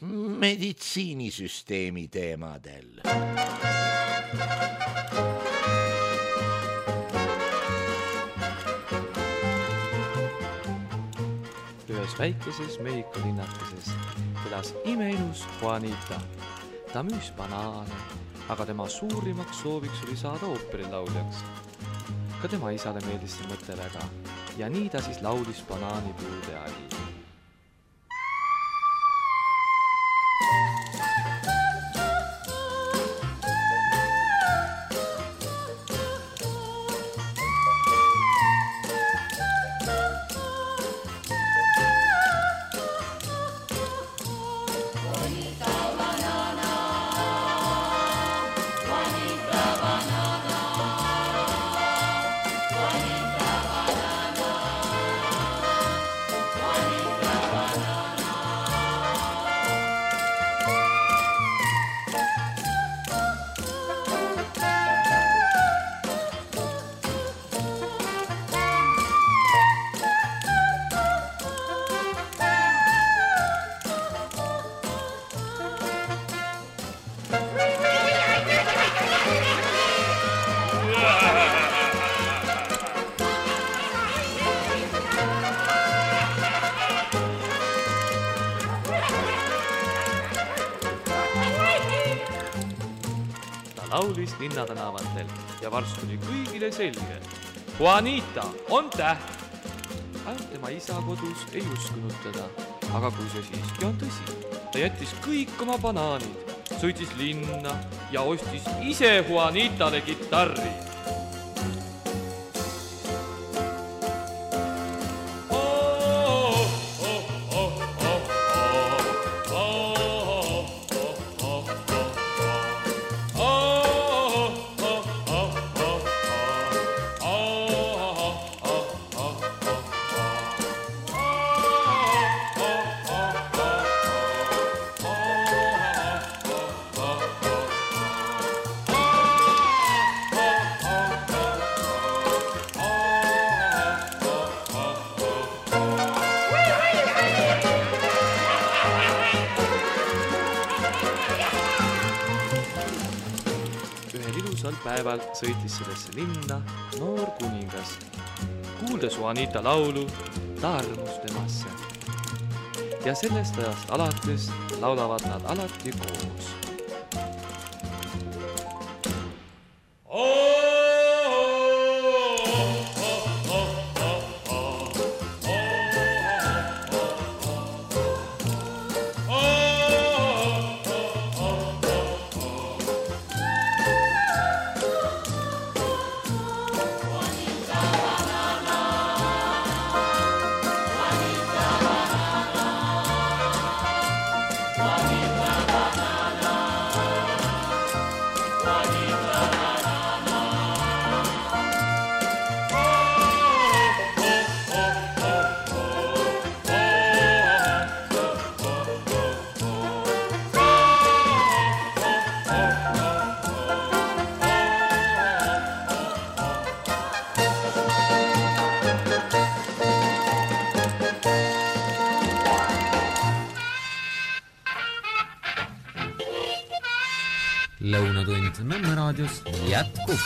meditsiinisüsteemi teemadel. Ühes väikeses Mehhiko linnakeses elas imeilus Juanita. Ta müüs banaane, aga tema suurimaks sooviks oli saada ooperilauljaks. Ka tema isale meeldis see mõte väga ja nii ta siis laulis banaanipuude all. Laulis linnatänavatel ja varsti oli kõigile selge. Juanita on täht. Ainult tema isa kodus ei uskunud teda, aga kui see siiski on tõsi, ta jättis kõik oma banaanid, sõitis linna ja ostis ise Juanitale kitarri. Päeval sõitis sellesse linna noor kuningas. Kuuldes Juanita laulu, ta armus temasse. Ja sellest ajast alates laulavad nad alati koos. Lõunatund Nõmme raadios jätkub.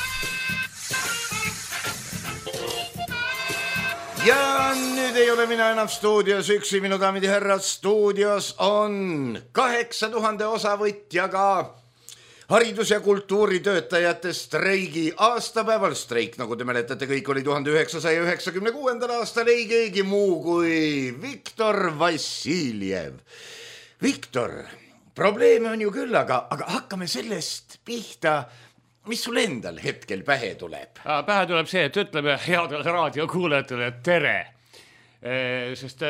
Ja nüüd ei ole mina enam stuudios üksi, minu daamid ja härrad, stuudios on 8000 osavõtjaga haridus- ja kultuuritöötajate streigi aastapäeval. Streik, nagu te mäletate, kõik oli 1996. aastal ei keegi muu kui Viktor Vassiljev. Viktor, probleeme on ju küll, aga hakkame sellest pihta. Mis sul endal hetkel pähe tuleb? Pähe tuleb see, et ütleme headele raadiokuulajatele tere. Sest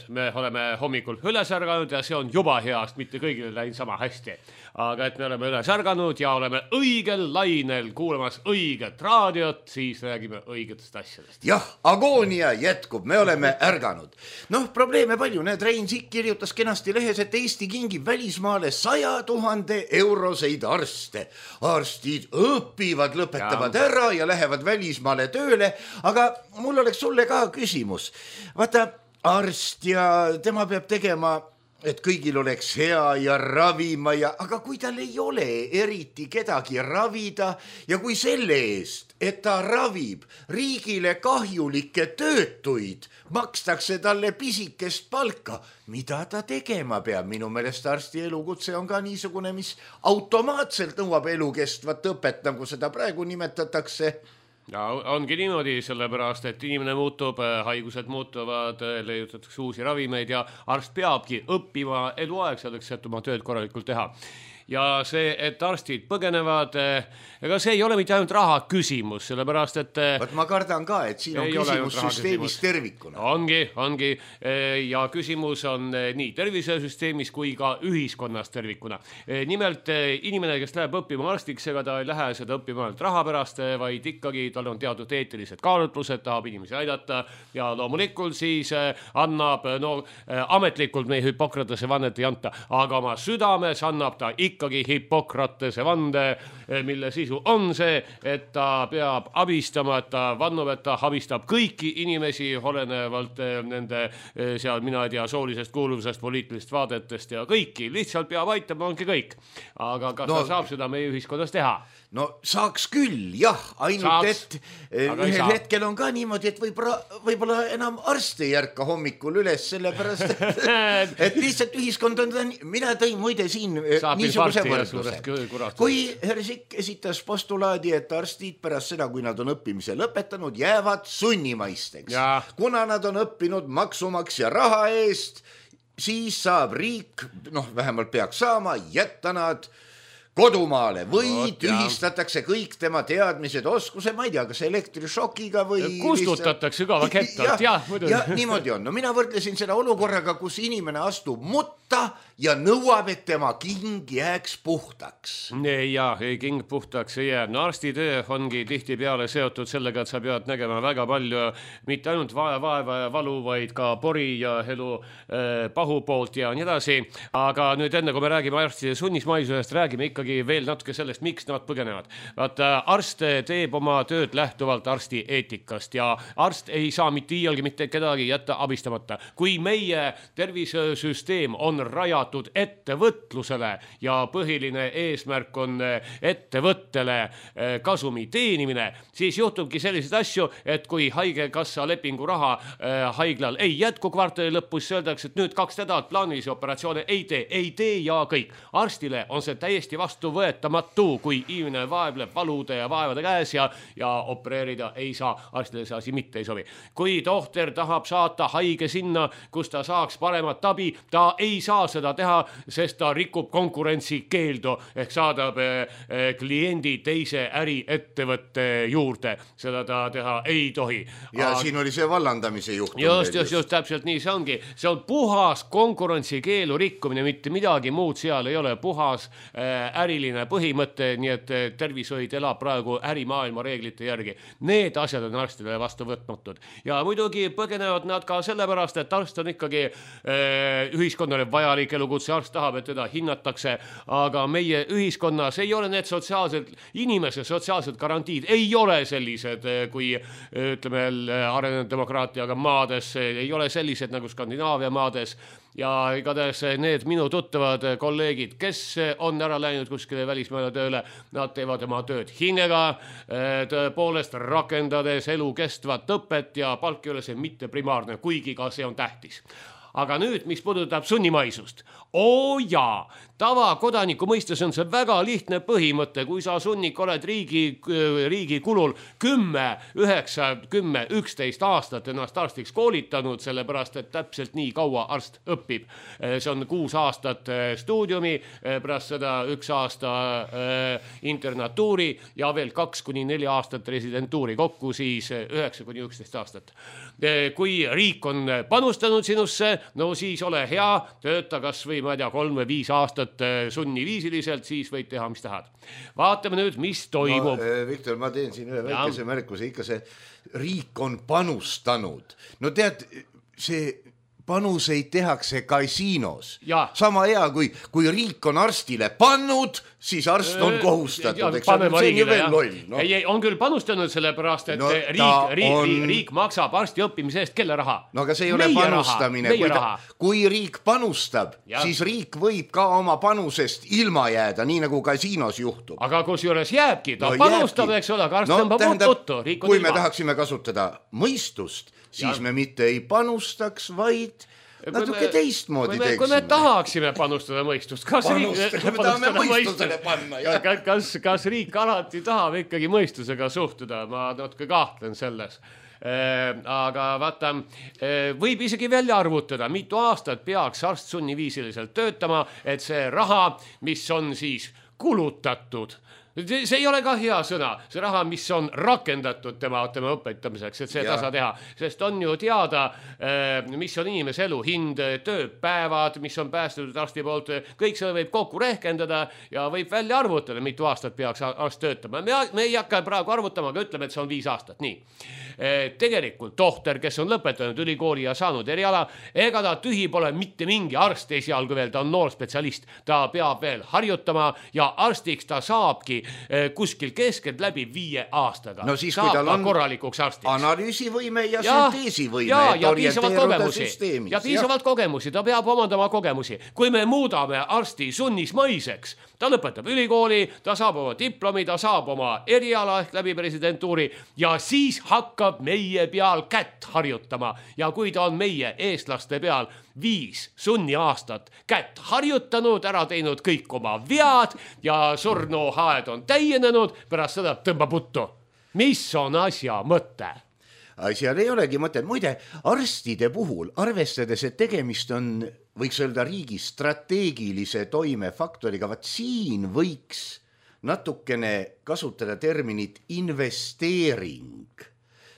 me oleme hommikul üles ärganud ja see on juba heast, mitte kõigile läinud sama hästi. Aga et me oleme üles ärganud ja oleme õigel lainel kuulamas õiget raadiot, siis räägime õigetest asjadest. Jah, agoonia jätkub, me oleme ärganud. Noh, probleeme palju, need Rein Sikk kirjutas kenasti lehes, et Eesti kingib välismaale 100 000 euroseid arste. Arstid õpivad, lõpetavad ära ja lähevad välismaale tööle, aga mul oleks sulle ka küsimus. Vaata, arst ja tema peab tegema, et kõigil oleks hea ja ravima aga kui tal ei ole eriti kedagi ravida ja kui selle eest, et ta ravib riigile kahjulikke töötuid, makstakse talle pisikest palka, mida ta tegema peab? Minu meelest arsti elukutse on ka niisugune, mis automaatselt nõuab elukestvat õpet, nagu seda praegu nimetatakse. Ja ongi niimoodi, sellepärast, et inimene muutub, haigused muutuvad, leiutatakse uusi ravimeid ja arst peabki õppima eluaeg selleks, et oma tööd korralikult teha. Ja see, et arstid põgenevad, ega see ei ole mitte ainult raha küsimus, sellepärast, et Võt ma kardan ka, et siin on küsimus süsteemis tervikuna. Ongi. Ja küsimus on nii tervisesüsteemis kui ka ühiskonnas tervikuna. Nimelt inimene, kes läheb õppima arstiks, ega ta ei lähe seda õppima ainult raha pärast, vaid ikkagi tal on teatud eetilised kaalutlused, tahab inimesi aidata ja loomulikult siis annab, ametlikult meie Hippokratese vannet ei anta, aga oma südames annab ta ikkagi Hippokratese vande, mille sisu on see, et ta peab abistama, et ta vannub, et ta abistab kõiki inimesi, olenevalt nende seal, mina ei tea, soolisest kuuluvusest, poliitilist vaadetest ja kõiki, lihtsalt peab aitama, ongi kõik. Aga kas ta saab seda meie ühiskonnas teha? No saaks küll, jah, ainult et ühel hetkel on ka niimoodi, et võib-olla enam arst ei järka hommikul üles, sellepärast, et lihtsalt ühiskond on, mina tõin muide siin niisuguse võrdluse. Kui härra Sikk esitas postulaadi, et arstid pärast seda, kui nad on õppimise lõpetanud, jäävad sunnimaisteks. Kuna nad on õppinud maksumaksja raha eest, siis saab riik, vähemalt peaks saama, jätta nad kodumaale või tühistatakse kõik tema teadmised, oskuse, ma ei tea, kas elektrišokiga või kustutatakse ka kettalt, jah. Ja niimoodi on. No mina võrdlesin seda olukorraga, kus inimene astub mutta ja nõuab, et tema king jääks puhtaks. Ja king puhtaks ei jää. No arstitöö ongi tihti peale seotud sellega, et sa pead nägema väga palju, mitte ainult vaeva ja valu, vaid ka pori ja elu pahu poolt ja nii edasi. Aga nüüd enne, kui me räägime arstide sunnismaisusest, räägime ikkagi veel natuke sellest, miks nad põgenevad. Vaata, arst teeb oma tööd lähtuvalt arsti eetikast ja arst ei saa mitte iialgi mitte kedagi jätta abistamata. Kui meie tervisesüsteem on rajatud ettevõtlusele ja põhiline eesmärk on ettevõttele kasumi teenimine, siis juhtubki selliseid asju, et kui haigekassa lepingu raha haiglal ei jätku kvartali lõpus, öeldakse, et nüüd 2 nädalat plaanilisi operatsioone ei tee ja kõik. Arstile on see täiesti vastuvõetamatu, kui inimene vaebleb valude ja vaevade käes ja opereerida ei saa, arstile see asi mitte ei sobi. Kui tohter tahab saata haige sinna, kus ta saaks paremat abi, ta ei saa seda teha, sest ta rikub konkurentsi keeldu ehk saadab kliendi teise äriettevõtte juurde. Seda ta teha ei tohi. Ja siin oli see vallandamise juhtum. Just, täpselt nii see ongi. See on puhas konkurentsikeelu rikkumine, mitte midagi muud seal ei ole, puhas äriline põhimõte, nii et tervishoid elab praegu ärimaailma reeglite järgi. Need asjad on arstidele vastu võtmatud. Ja muidugi põgenevad nad ka sellepärast, et arst on ikkagi ühiskonnale vajalik elukutse, arst tahab, et teda hinnatakse, aga meie ühiskonnas ei ole need inimese sotsiaalsed garantiid, ei ole sellised, kui ütleme arenenud demokraatiaga maades, ei ole sellised nagu Skandinaavia maades. Ja igatahes need minu tuttavad kolleegid, kes on ära läinud läinud kuskile välismaale tööle, nad teevad oma tööd hingega, tõepoolest rakendades elukestvat õpet ja palk ei ole see mitte primaarne, kuigi ka see on tähtis. Aga nüüd, mis puudutab sunnimaisust. Jaa, tavakodaniku mõistes on see väga lihtne põhimõte, kui sa sunnik oled riigi kulul 10, 9, 10, 11 aastat ennast arstiks koolitanud, sellepärast, et täpselt nii kaua arst õpib. See on 6 aastat stuudiumi, pärast seda 1 aasta internatuuri ja veel 2-4 aastat residentuuri, kokku siis 9-11 aastat. Kui riik on panustanud sinusse, no siis ole hea, tööta kas või, ma ei tea, 3 või 5 aastat sunniviisiliselt, siis võid teha, mis tahad. Vaatame nüüd, mis toimub. Viktor, ma teen siin ühe väikese märkuse, ikka see riik on panustanud. No tead, see panuseid tehakse kasiinos. Sama hea, kui riik on arstile pannud, siis arst on kohustatud. See on ju veel loll. Ei, on küll panustanud selle-pärast, et riik maksab arsti õppimise eest, kelle raha? No aga see ei ole panustamine. Kui riik panustab, siis riik võib ka oma panusest ilma jääda, nii nagu kasiinos juhtub. Aga kus juures jääbki, ta panustab, eks ole, aga arst tõmbab tuttu. Kui me tahaksime kasutada mõistust, siis me mitte ei panustaks, vaid natuke teistmoodi teeksime. Kui me tahaksime panustada mõistust, kas riik alati tahab ikkagi mõistusega suhtuda, ma natuke kahtlen selles. Aga vaata, võib isegi välja arvutada, mitu aastat peaks arst sunniviisiliselt töötama, et see raha, mis on siis kulutatud, see ei ole ka hea sõna, see raha, mis on rakendatud tema õpetamiseks, et see tasa teha, sest on ju teada, mis on inimese elu hind, tööpäevad, mis on päästetud arsti poolt, kõik see võib kokku rehkendada ja võib välja arvutada, mitu aastat peaks arst töötama. Me ei hakka praegu arvutama, aga ütleme, et see on 5 aastat, nii. Tegelikult tohter, kes on lõpetanud ülikooli ja saanud eriala, ega ta tühi pole mitte mingi arst esialgu veel, ta on noor spetsialist, ta peab veel harjutama ja arstiks ta saabki kuskil keskelt läbi 5 aastaga. No siis, kui tal on korralikuks arstiks. Analüüsivõime ja sünteesivõime, ja piisavalt kogemusi, ta peab omandama kogemusi. Kui me muudame arsti sunnismaiseks, ta lõpetab ülikooli, ta saab oma diplomi, ta saab oma eriala ehk läbi residentuuri ja siis hakkab meie peal kätt harjutama ja kui ta on meie eestlaste peal 5 sunniaastat kätt harjutanud, ära teinud kõik oma vead ja surnuhaed on täienenud, pärast seda tõmbab puttu. Mis on asja mõte? Asjal ei olegi mõte. Muide, arstide puhul, arvestades, et tegemist on, võiks öelda, riigi strateegilise toimefaktoriga, vaat siin võiks natukene kasutada terminit investeering,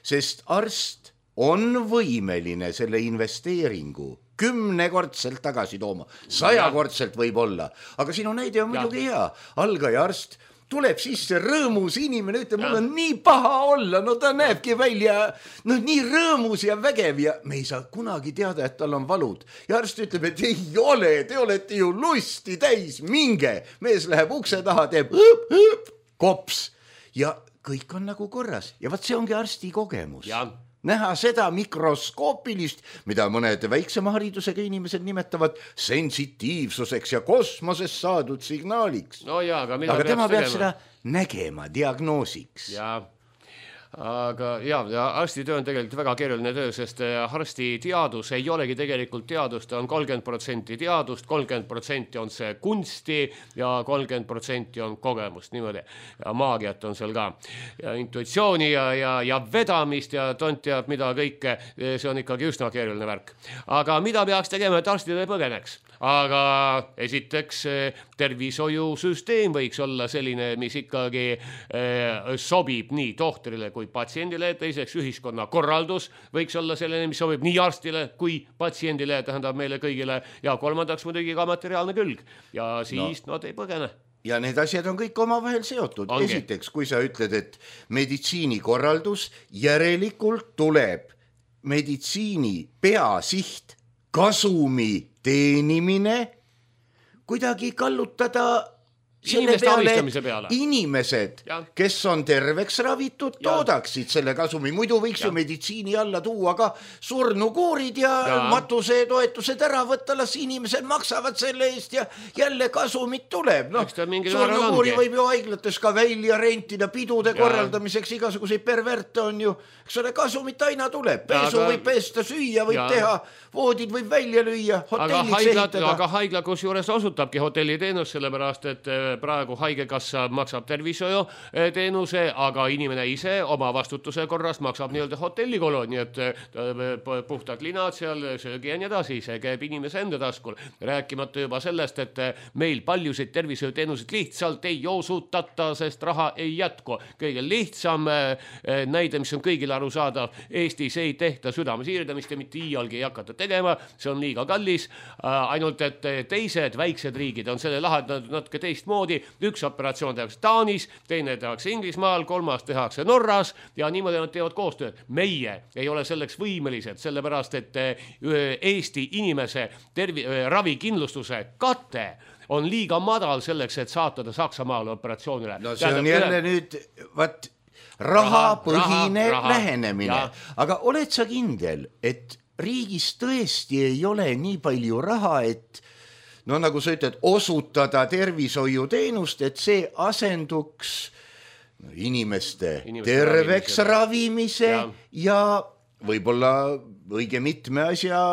sest arst on võimeline selle investeeringu 10-kordselt tagasi tooma, 100-kordselt võib olla, aga sinu näide on muidugi hea. Algaja arst tuleb sisse rõõmus inimene, ütleb, mul on nii paha olla, no ta näebki välja nii rõõmus ja vägev ja me ei saa kunagi teada, et tal on valud. Ja arst ütleb, et ei ole, te olete ju lusti täis, minge. Mees läheb ukse taha, teeb kops ja kõik on nagu korras ja vaat see ongi arsti kogemus. Näha seda mikroskoopilist, mida mõned väiksema haridusega inimesed nimetavad sensitiivsuseks ja kosmoses saadud signaaliks. No jaa, aga tema peab seda nägema diagnoosiks. Aga arstitöö on tegelikult väga keeruline töö, sest arsti teadus ei olegi tegelikult teadust, ta on 30% teadust, 30% on see kunsti ja 30% on kogemust, niimoodi. Ja maagiat on seal ka. Ja intuitsiooni ja vedamist ja tont teab mida kõike, see on ikkagi üsna keeruline värk. Aga mida peaks tegema, et arstid ei põgeneks? Aga esiteks tervishoiusüsteem võiks olla selline, mis ikkagi sobib nii tohtrile kui patsiendile, teiseks ühiskonna korraldus võiks olla selline, mis sobib nii arstile kui patsiendile, tähendab meile kõigile ja kolmandaks muidugi ka materiaalne külg ja siis nad ei põgene. Ja need asjad on kõik omavahel seotud. Esiteks, kui sa ütled, et meditsiinikorraldus järelikult tuleb meditsiini peasiht kasumi teenimine kuidagi kallutada Inimeste abistamise peale. Inimesed, kes on terveks ravitud, toodaksid selle kasumi. Muidu võiks ju meditsiini alla tuua ka surnukuurid ja matuse toetused ära võtta, las inimesed maksavad selle eest ja jälle kasumit tuleb. No, surnukuuri võib ju haiglates ka välja rentida, pidude korraldamiseks igasuguseid perverte on ju. Eks ole, kasumit aina tuleb. Pesu võib pesta, süüa võib teha, voodid võib välja lüüa, hotellid sehitada. Aga haigla kus juures osutabki hotelliteenus, sellepärast, et praegu haigekassa maksab tervishoiu teenuse, aga inimene ise oma vastutuse korras maksab nii-öelda hotellikolo, nii et puhtad linad seal, söögi ja nii edasi, see käib inimese enda taskul. Rääkimata juba sellest, et meil paljusid tervishoiuteenuseid lihtsalt ei osutata, sest raha ei jätku. Kõige lihtsam näide, mis on kõigile aru saada, Eestis ei tehta südamesiirdamist ja mitte iialgi ei hakata tegema, see on liiga kallis, ainult et teised väiksed riigid on selle lahendanud natuke teistmoodi. Üks operatsioon tehakse Taanis, teine tehakse Inglismaal, kolmas tehakse Norras ja niimoodi nad teevad koostööd. Meie ei ole selleks võimelised, sellepärast et Eesti inimese ravikindlustuse kate on liiga madal selleks, et saatada Saksamaale operatsioonile. No see on jälle nüüd rahapõhine lähenemine. Aga oled sa kindel, et riigis tõesti ei ole nii palju raha, et no nagu sa ütled, osutada tervishoiuteenust, et see asenduks inimeste terveks ravimise ja võib-olla õige mitme asja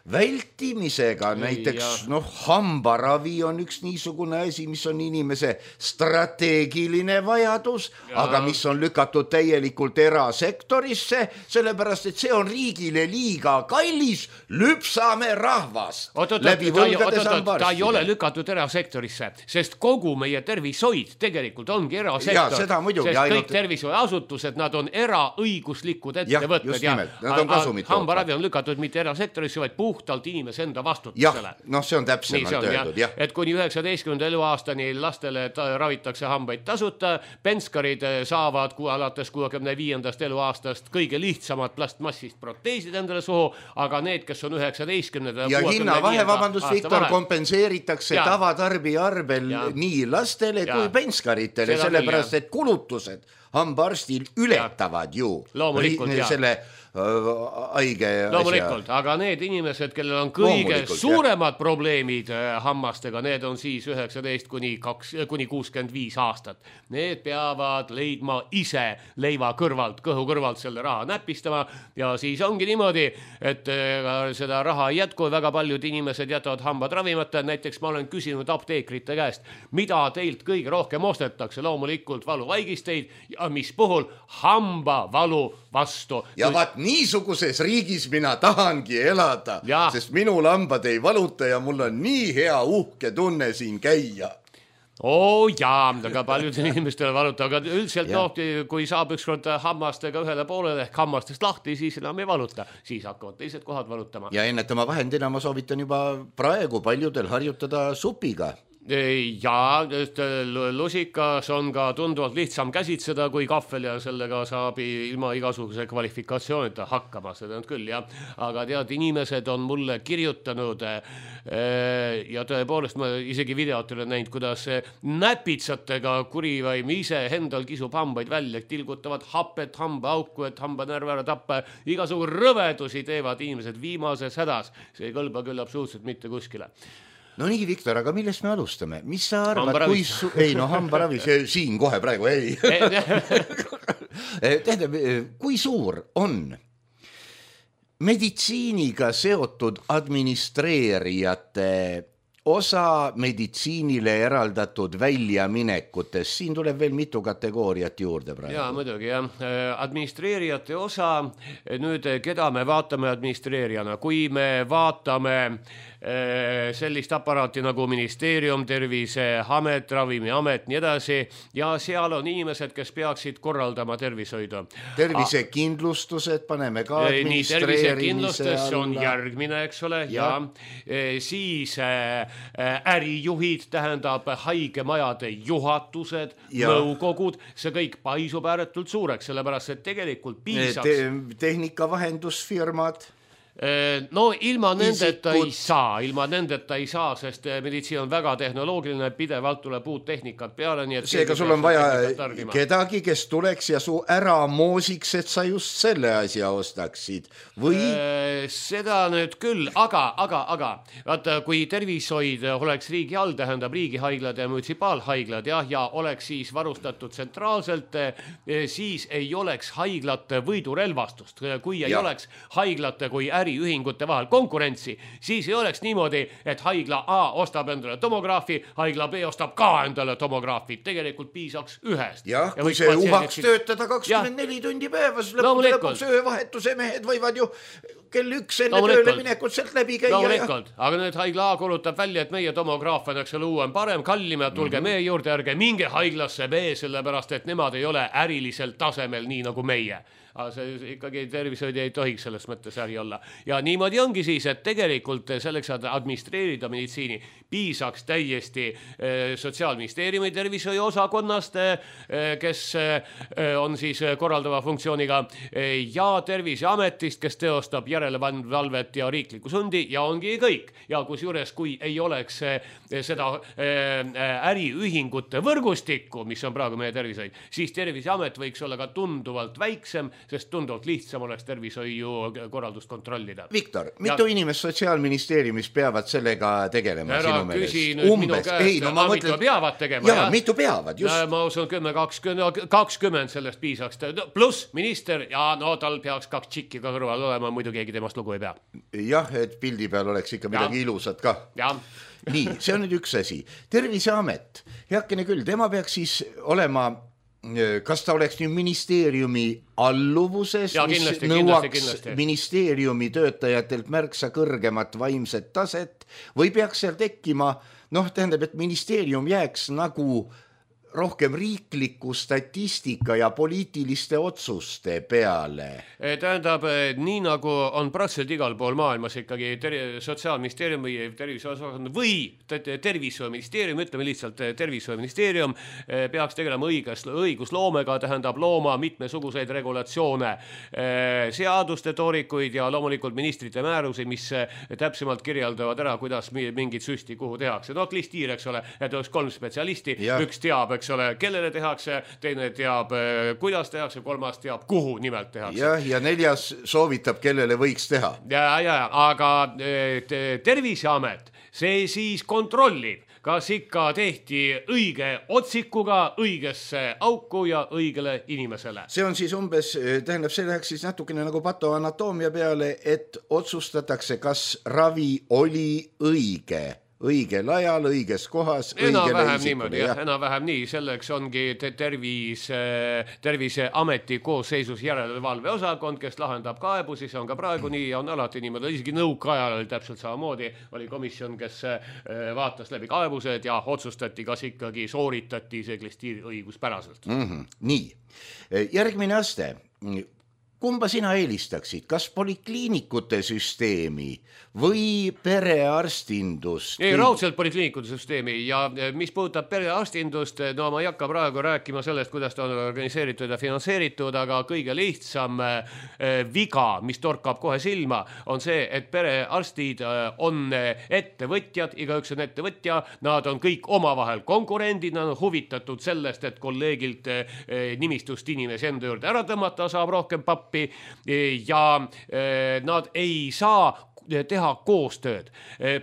vältimisega, näiteks hambaravi on üks niisugune asi, mis on inimese strateegiline vajadus, aga mis on lükatud täielikult erasektorisse, sellepärast, et see on riigile liiga kallis, lüpsame rahvast läbi võlgades hambarstile. Ta ei ole lükatud erasektorisse, sest kogu meie tervishoid tegelikult ongi erasektor. Seda muidugi, sest kõik tervishoiasutused, nad on eraõiguslikud ettevõtted. Just nimelt, nad on kasumit. Hambaravi on lükatud mitte erasektorisse, vaid puhtalt inimese enda vastutusele. See on täpsemalt öeldud. Et kuni 19. eluaastani lastele ravitakse hambaid tasuta, penskarid saavad alates 65. eluaastast kõige lihtsamad plastmassist proteesid endale suhu, aga need, kes on 19. ja hinnavahe, vabandust, Viktor, kompenseeritakse tavatarbija arvel nii lastele kui penskaritele, sellepärast, et kulutused hambaarstil ületavad ju selle haige loomulikult, aga need inimesed, kellel on kõige suuremad probleemid hammastega, need on siis 19 kuni 65 aastat. Need peavad leidma ise leiva kõrvalt, kõhu kõrvalt selle raha näpistama ja siis ongi niimoodi, et seda raha ei jätku, väga paljud inimesed jätavad hambad ravimata. Näiteks ma olen küsinud apteekrite käest, mida teilt kõige rohkem ostetakse, loomulikult valuvaigisteid ja mis puhul hambavalu vastu. Ja vaat niisuguses riigis mina tahangi elada, sest minu lambad ei valuta ja mul on nii hea uhke tunne siin käia. Aga paljudel inimestel valuta, aga üldiselt kui saab ükskord hammastega ühele poolele ehk hammastest lahti, siis enam ei valuta, siis hakkavad teised kohad valutama. Ja ennetama vahendina ma soovitan juba praegu paljudel harjutada supiga. Ja lusikas on ka tunduvalt lihtsam käsitseda kui kahvel ja sellega saab ilma igasuguse kvalifikatsioonita hakkama, seda on küll, aga tead, inimesed on mulle kirjutanud ja tõepoolest ma isegi videot olen näinud, kuidas näpitsatega kurivaim ise endal kisub hambaid välja, tilgutavad hapet hambaauku, et hambanärv ära tappa, igasugu rõvedusi teevad inimesed viimases hädas, see ei kõlba küll absoluutselt mitte kuskile. No nii, Viktor, aga millest me alustame? Mis sa arvad, hambaravi, siin kohe praegu, ei. Kui suur on meditsiiniga seotud administreerijate osa meditsiinile eraldatud väljaminekutes, siin tuleb veel mitu kategooriat juurde praegu. Jaa, muidugi, administreerijate osa, nüüd keda me vaatame administreerijana, kui me vaatame sellist aparaati nagu ministeerium, Terviseamet, Ravimiamet, nii edasi, ja seal on inimesed, kes peaksid korraldama tervishoidu. Tervisekindlustused paneme ka administreerimise alla. See on järgmine, eks ole, ja siis ärijuhid, tähendab haigemajade juhatused, nõukogud, see kõik paisub ääretult suureks, sellepärast, et tegelikult piisaks. Tehnikavahendusfirmad. No ilma nendeta ei saa, sest meditsiin on väga tehnoloogiline, pidevalt tuleb uut tehnikat peale, nii et seega sul on vaja kedagi, kes tuleks ja su ära moosiks, et sa just selle asja ostaksid või? Seda nüüd küll, aga vaata, kui tervishoid oleks riigi all, tähendab riigihaiglad ja munitsipaalhaiglad ja oleks siis varustatud tsentraalselt, siis ei oleks haiglate võidurelvastust, kui ei oleks haiglate kui äriühingute vahel konkurentsi, siis ei oleks niimoodi, et haigla A ostab endale tomograafi, haigla B ostab ka endale tomograafi. Tegelikult piisaks ühest. Jah, kui see uhaks töötada 24 tundi päevas, lõpuks öövahetuse mehed võivad ju kell 1 enne tööle minekut sealt läbi käia. Aga nüüd haigla A kuulutab välja, et meie tomograaf on uuem, parem, kallim ja tulge meie juurde, ärge minge haiglasse B, sellepärast et nemad ei ole äriliselt tasemel nii nagu meie. Aga see ikkagi tervishoid ei tohiks selles mõttes äri olla. Ja niimoodi ongi siis, et tegelikult selleks, et administreerida meditsiini, piisaks täiesti Sotsiaalministeeriumi tervishoiu osakonnast, kes on siis korraldava funktsiooniga, ja Terviseametist, kes teostab järelevalvet ja riiklikku sundi ja ongi kõik. Ja kusjuures, kui ei oleks seda äriühingute võrgustikku, mis on praegu meie tervishoid, siis Terviseamet võiks olla ka tunduvalt väiksem, sest tunduvalt lihtsam oleks tervishoiu korraldust kontrollida. Viktor, mitu inimest Sotsiaalministeeriumis peavad sellega tegelema sinu meelest? Umbes. Mitu peavad tegema. Jaa, mitu peavad, just. Ma usun 10-20 sellest piisaks. Pluss minister ja tal peaks 2 tšikki ka kõrval olema, muidu keegi temast lugu ei pea. Jah, et pildi peal oleks ikka midagi ilusat ka. Nii, see on nüüd üks asi. Terviseamet, heakene küll, tema peaks siis olema, kas ta oleks nüüd ministeeriumi alluvuses, mis nõuaks ministeeriumi töötajatelt märksa kõrgemat vaimset taset või peaks seal tekkima, tähendab, et ministeerium jääks nagu rohkem riikliku statistika ja poliitiliste otsuste peale. Tähendab, nii nagu on praktiliselt igal pool maailmas ikkagi Sotsiaalministeerium või tervishoiuosakond või tervishoiuministeerium, ütleme lihtsalt tervishoiuministeerium peaks tegelema õigusloomega, tähendab looma mitmesuguseid regulatsioone, seaduste toorikuid ja loomulikult ministrite määrusi, mis täpsemalt kirjeldavad ära, kuidas mingit süsti kuhu tehakse. Klistiir, eks ole, et oleks 3 spetsialisti, üks teab, eks ole, kellele tehakse, teine teab, kuidas tehakse, 3. teab, kuhu nimelt tehakse. Ja 4. soovitab, kellele võiks teha. Aga Terviseamet, see siis kontrollib, kas ikka tehti õige otsikuga õigesse auku ja õigele inimesele. See on siis umbes, tähendab, see läheks siis natukene nagu patoanatoomia peale, et otsustatakse, kas ravi oli õigel ajal, õiges kohas, õigele isikule. Enam-vähem nii, selleks ongi Terviseameti koosseisus järelevalveosakond, kes lahendab kaebusi, see on ka praegu nii ja on alati niimoodi, isegi nõukaajal oli täpselt samamoodi, oli komisjon, kes vaatas läbi kaebused ja otsustati, kas ikkagi sooritati see klistiir õiguspäraselt. Nii, järgmine aste. Kumba sina eelistaksid, kas polikliinikute süsteemi või perearstindust? Ei, raudselt polikliinikute süsteemi ja mis puudutab perearstindust, ma ei hakka praegu rääkima sellest, kuidas ta on organiseeritud ja finantseeritud, aga kõige lihtsam viga, mis torkab kohe silma, on see, et perearstid on ettevõtjad, igaüks on ettevõtja, nad on kõik omavahel konkurendid, nad on huvitatud sellest, et kolleegilt nimistust inimesi enda juurde ära tõmmata, saab rohkem pappi ja nad ei saa teha koostööd.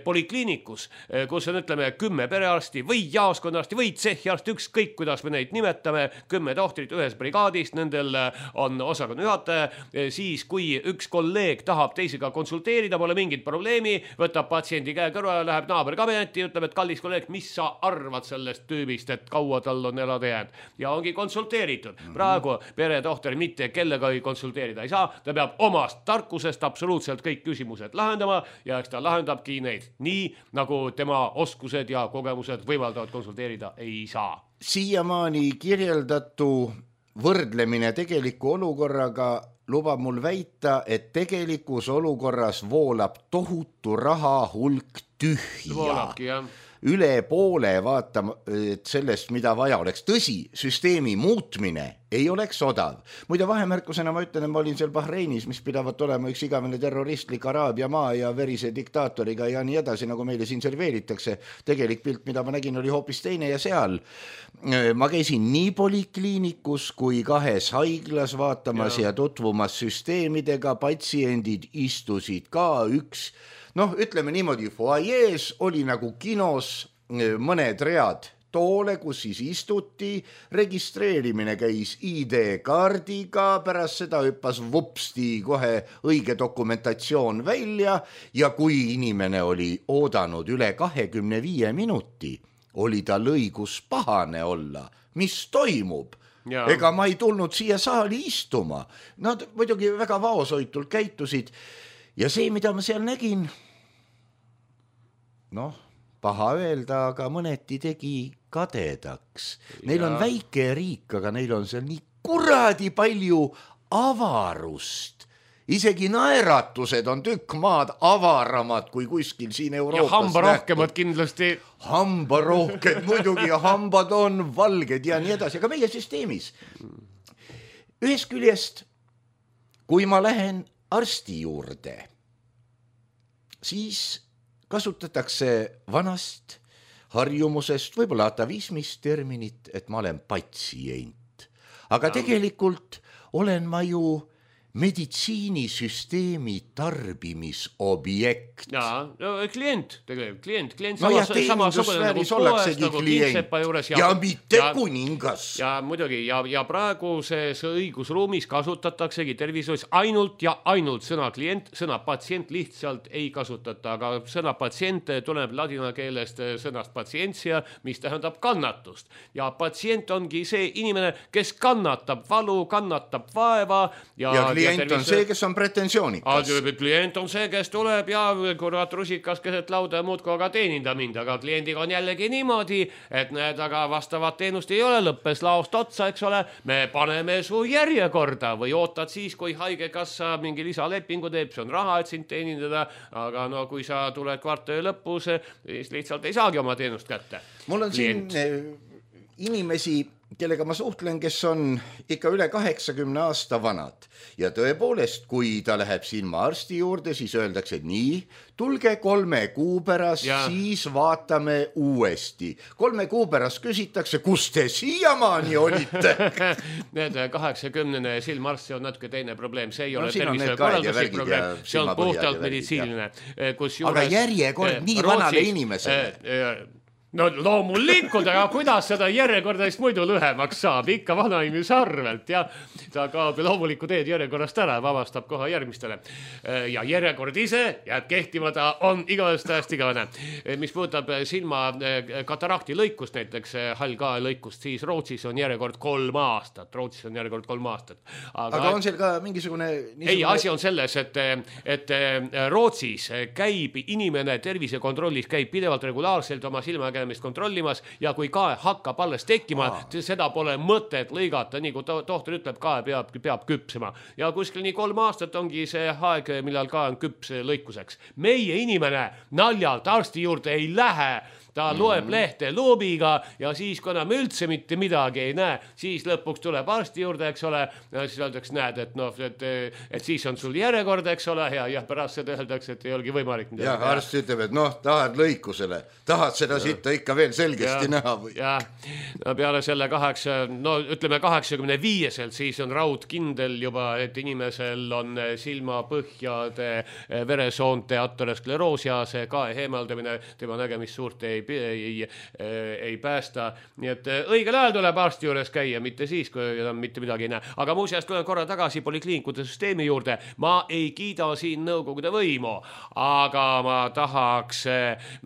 Polikliinikus, kus on, ütleme, 10 perearsti või jaoskonnarsti või tsehhiarsti, ükskõik kuidas me neid nimetame, 10 tohtrit ühes brigaadist, nendel on osakonna juhataja, siis kui üks kolleeg tahab teisega konsulteerida, pole mingit probleemi, võtab patsiendi käe kõrvale, läheb naaberkabinetti ja ütleb, et kallis kolleeg, mis sa arvad sellest tüübist, et kaua tal on elada jäänud. Ja ongi konsulteeritud. Praegu peretohter mitte kellega ei konsulteerida ei saa, ta peab omast tarkusest absoluutselt kõik küsimused lahendama ja eks ta lahendabki neid nii, nagu tema oskused ja kogemused võimaldavad konsulteerida ei saa. Siiamaani kirjeldatu võrdlemine tegeliku olukorraga lubab mul väita, et tegelikus olukorras voolab tohutu raha hulk tühja. Voolabki, jah. Üle poole vaatama sellest, mida vaja oleks. Tõsi, süsteemi muutmine ei oleks odav. Muide vahemärkusena ma ütlen, et ma olin seal Bahreinis, mis pidavat olema üks igavene terroristlik Araabia maa ja verise diktaatoriga ja nii edasi, nagu meile siin serveeritakse. Tegelik pilt, mida ma nägin, oli hoopis teine ja seal ma käisin nii polikliinikus kui 2 haiglas vaatamas ja tutvumas süsteemidega, patsiendid istusid ka üks, ütleme niimoodi, foajees oli nagu kinos mõned read toole, kus siis istuti, registreerimine käis ID-kaardiga, pärast seda hüppas vupsti kohe õige dokumentatsioon välja ja kui inimene oli oodanud üle 25 minuti, oli tal õigus pahane olla. Mis toimub? Ega ma ei tulnud siia saali istuma. Nad muidugi väga vaoshoitult käitusid ja see, mida ma seal nägin, paha öelda, aga mõneti tegi kadedaks. Neil on väike riik, aga neil on seal nii kuradi palju avarust. Isegi naeratused on tükk maad avaramad kui kuskil siin Euroopas. Ja hambarohkemad kindlasti. Hambarohked muidugi ja hambad on valged ja nii edasi, aga meie süsteemis. Ühest küljest, kui ma lähen arsti juurde, siis kasutatakse vanast harjumusest, võib-olla atavismist terminit, et ma olen patsient. Aga tegelikult olen ma ju meditsiinisüsteemi tarbimisobjekt. Klient tegelikult, klient teenindussfääris ollaksegi klient ja mitte kuningas. Ja muidugi, ja praeguses õigusruumis kasutataksegi tervishoius ainult ja ainult sõna klient, sõna patsient lihtsalt ei kasutata, aga sõna patsient tuleb ladina keelest sõnast patsientsia, mis tähendab kannatust. Ja patsient ongi see inimene, kes kannatab valu, kannatab vaeva ja klient on see, kes on pretensioonikas. Klient on see, kes tuleb ja kurat rusikas keset lauda ja muudku aga teeninda mind, aga kliendiga on jällegi niimoodi, et need aga vastavat teenust ei ole, lõppes laost otsa, eks ole, me paneme su järjekorda või ootad siis, kui haigekassa mingi lisalepingu teeb, see on raha, et sind teenindada, aga kui sa tuled kvartali lõpus, siis lihtsalt ei saagi oma teenust kätte. Mul on siin inimesi, kellega ma suhtlen, kes on ikka üle 80 aasta vanad. Ja tõepoolest, kui ta läheb silmaarsti juurde, siis öeldakse nii, tulge 3 kuu pärast, siis vaatame uuesti. 3 kuu pärast küsitakse, kus te siiamaani olite? Need 80 silmaarsti on natuke teine probleem. See ei ole tervisekorralduslik probleem, see on puhtalt meditsiiniline. Aga järjekord nii vanale inimesele. No loomulikult, aga kuidas seda järjekordadest muidu lühemaks saab? Ikka vanainimese arvelt ja ta kaob loomuliku teed järjekorrast ära, vabastab koha järgmistele. Ja järjekord ise jääb kehtima, ta on igavest täiesti igavene. Mis puudutab silma katarakti lõikust, näiteks hallkae lõikust, siis Rootsis on järjekord 3 aastat. Rootsis on järjekord 3 aastat. Aga on seal ka mingisugune... Ei, asi on selles, et Rootsis käib inimene tervisekontrollis, käib pidevalt regulaarselt oma silmakäe kontrollimas ja kui kae hakkab alles tekkima, seda pole mõtet lõigata, nii kui tohter ütleb, kae peab küpsema. Ja kuskil nii 3 aastat ongi see aeg, millal kae on küps lõikuseks. Meie inimene naljalt arsti juurde ei lähe, ta loeb lehte loobiga ja siis, kui enam üldse mitte midagi ei näe, siis lõpuks tuleb arsti juurde, eks ole, ja siis öeldakse, näed, et siis on sul järjekord, eks ole, ja pärast seda öeldakse, et ei olegi võimalik. Ja arst ütleb, et tahad lõikusele, tahad seda sitta ikka veel selgesti näha või? Ja, peale selle 85-selt siis on raud kindel juba, et inimesel on silmapõhjade veresoonte ateroskleroos ja see kae heemaldamine, tema nägemist suurt ei päästa. Nii et õigel ajal tuleb arsti juures käia, mitte siis, kui mitte midagi ei näe. Aga muuseas, tulen korra tagasi polikliinikute süsteemi juurde. Ma ei kiida siin nõukogude võimu, aga ma tahaks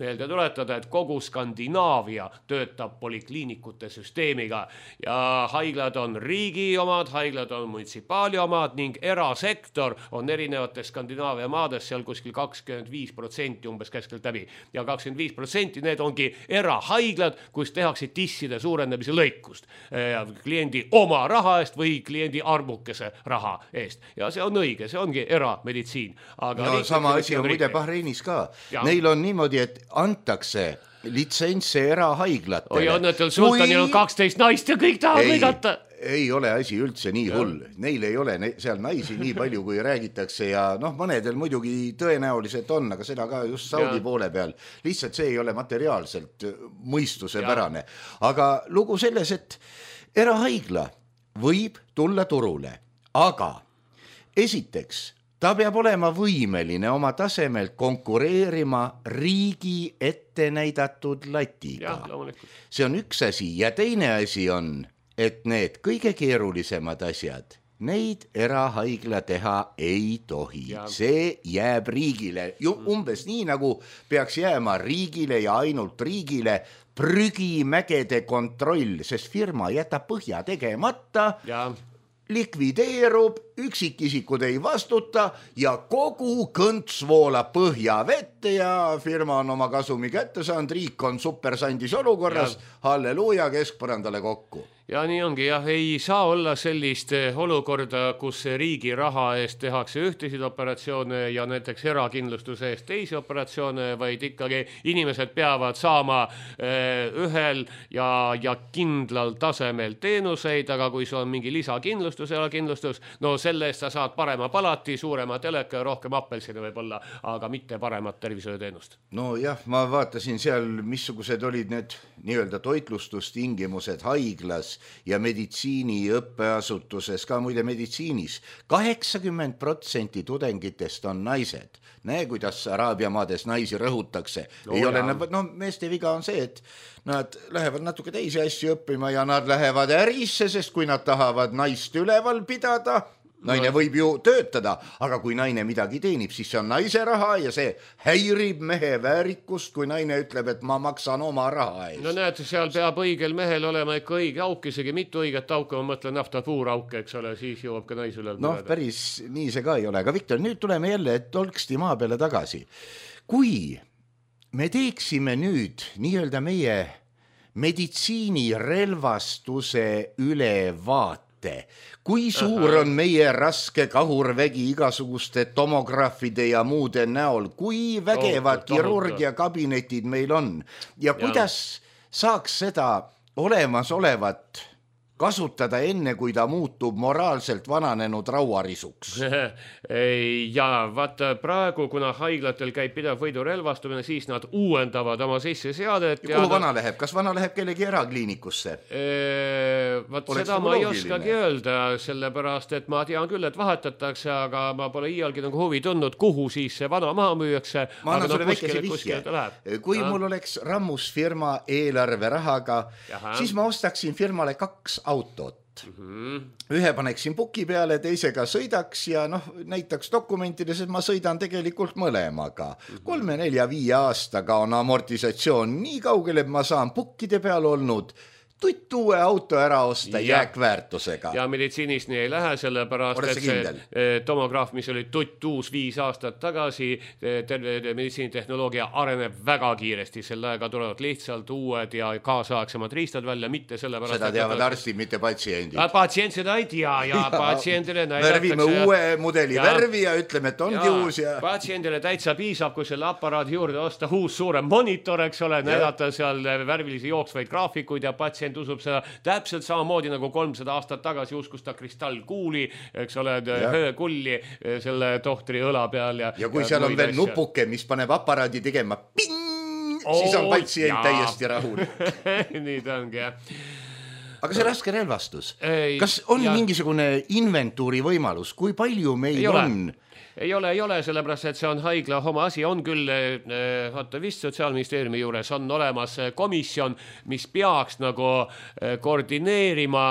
meelde tuletada, et kogu Skandinaavia töötab polikliinikute süsteemiga ja haiglad on riigi omad, haiglad on munitsipaali omad ning erasektor on erinevates Skandinaavia maades seal kuskil 25% umbes keskelt läbi ja 25% need ongi erahaiglad, kus tehakse tisside suurendamise lõikust kliendi oma raha eest või kliendi arvukese raha eest. Ja see on õige, see ongi erameditsiin. Aga sama asi on muide Bahreinis ka. Ja. Neil on niimoodi, et antakse litsentse erahaiglatele. Oi, õnnetul sultanil on 12 naist ja kõik tahavad lõigata. Ei ole asi üldse nii hull. Neil ei ole seal naisi nii palju, kui räägitakse ja mõnedel muidugi tõenäoliselt on, aga seda ka just Saudi poole peal. Lihtsalt see ei ole materiaalselt mõistusepärane. Aga lugu selles, et erahaigla võib tulla turule, aga esiteks ta peab olema võimeline oma tasemelt konkureerima riigi ette näidatud latiga. See on üks asi ja teine asi on, et need kõige keerulisemad asjad, neid erahaigla teha ei tohi. See jääb riigile. Umbes nii nagu peaks jääma riigile ja ainult riigile prügimägede kontroll, sest firma jätab põhja tegemata, likvideerub, üksikisikud ei vastuta ja kogu kõnts voolab põhja vette ja firma on oma kasumi kätte saanud, riik on supersandis olukorras, halleluuja, keskpõrandale kokku. Ja nii ongi, ei saa olla sellist olukorda, kus riigi raha eest tehakse ühtesid operatsioone ja näiteks erakindlustuse eest teisi operatsioone, vaid ikkagi inimesed peavad saama ühel ja kindlal tasemel teenuseid, aga kui sul on mingi lisakindlustus, erakindlustus, no selle eest sa saad parema palati, suurema teleka ja rohkem appelsine võib-olla, aga mitte paremat tervishoiuteenust. No jah, ma vaatasin seal, missugused olid need nii-öelda toitlustustingimused haiglas ja meditsiini õppeasutuses, ka muide meditsiinis. 80% tudengitest on naised. Näe, kuidas Araabia maades naisi rõhutakse. Meeste viga on see, et nad lähevad natuke teisi asju õppima ja nad lähevad ärisse, sest kui nad tahavad naist üleval pidada, naine võib ju töötada, aga kui naine midagi teenib, siis see on naise raha ja see häirib mehe väärikust, kui naine ütleb, et ma maksan oma raha eest. No näed, seal peab õigel mehel olema ikka õige auk, isegi mitu õiget auka, ma mõtlen naftapuurauke, eks ole, siis jõuab ka nais üle. Päris nii see ka ei ole, aga Viktor, nüüd tuleme jälle tolksti maa peale tagasi. Kui me teeksime nüüd nii-öelda meie meditsiinirelvastuse ülevaate, kui suur on meie raske kahurvägi igasuguste tomograafide ja muude näol, kui vägevad kirurgiakabinetid meil on ja kuidas saaks seda olemasolevat kasutada enne, kui ta muutub moraalselt vananenud rauarisuks. Ja vaata praegu, kuna haiglatel käib pidev võidurelvastumine, siis nad uuendavad oma sisseseadet. Ja kuhu vana läheb? Kas vana läheb kellegi erakliinikusse? Seda ma ei oskagi öelda, sellepärast, et ma tean küll, et vahetatakse, aga ma pole iialgi nagu huvi tundnud, kuhu siis see vana maha müüakse. Ma annan sulle väikese vihje. Kui mul oleks rammus firma eelarve rahaga, siis ma ostaksin firmale 2 autot. Ühe paneksin puki peale, teisega sõidaks ja näitaks dokumentides, et ma sõidan tegelikult mõlemaga. 3, 4, 5 aastaga on amortisatsioon nii kaugel, et ma saan pukkide peal olnud tutt uue auto ära osta jääkväärtusega. Ja meditsiinis nii ei lähe, sellepärast, et see tomograaf, mis oli tutt uus 5 aastat tagasi, meditsiinitehnoloogia areneb väga kiiresti, selle aega tulevad lihtsalt uued ja kaasaegsemad riistad välja, mitte sellepärast... Seda teavad arstid, mitte patsiendid. Patsient seda ei tea ja patsiendile näidatakse... Värvime uue mudeli värvi ja ütleme, et ongi uus ja... Patsiendile täitsa piisab, kui selle aparaadi juurde osta uus suurem monitor, eks ole, näidata seal värvilisi jooksvaid graafikuid ja patsient usub seda täpselt samamoodi nagu 300 aastat tagasi uskus ta kristallkuuli, eks ole, kulli selle tohtri õla peal. Ja kui seal on veel nupuke, mis paneb aparaadi tegema ping, siis on patsient täiesti rahul. Nii ta ongi, jah. Aga see raske relvastus, kas on mingisugune inventuuri võimalus, kui palju meil on? Ei ole, sellepärast, et see on haigla oma asi, on küll, vist Sotsiaalministeeriumi juures on olemas komisjon, mis peaks nagu koordineerima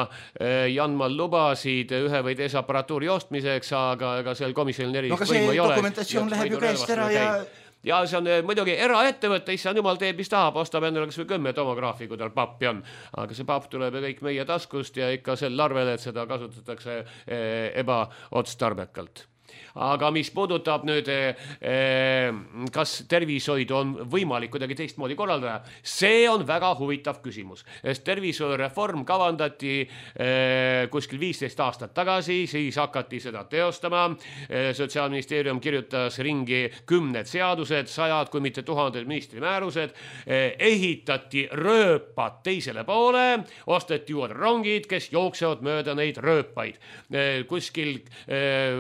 ja andma lubasid ühe või teise aparatuuri ostmiseks, aga seal komisjonil erilist võimu ei ole. No aga see dokumentatsioon läheb ju käest ära ja see on muidugi eraettevõtte, issand jumal teeb, mis tahab, ostab endale kas või 10 tomograafi, kui tal pappi on. Aga see papp tuleb kõik meie taskust ja ikka sel arvel, et seda kasutatakse ebaotstarbekalt. aga mis puudutab nüüd, kas tervishoid on võimalik kuidagi teistmoodi korraldada, see on väga huvitav küsimus, sest tervishoiureform kavandati kuskil 15 aastat tagasi, siis hakati seda teostama. Sotsiaalministeerium kirjutas ringi 10 seadused, 100 kui mitte 1000 ministri määrused, ehitati rööpad teisele poole, osteti uued rongid, kes jooksevad mööda neid rööpaid. Kuskil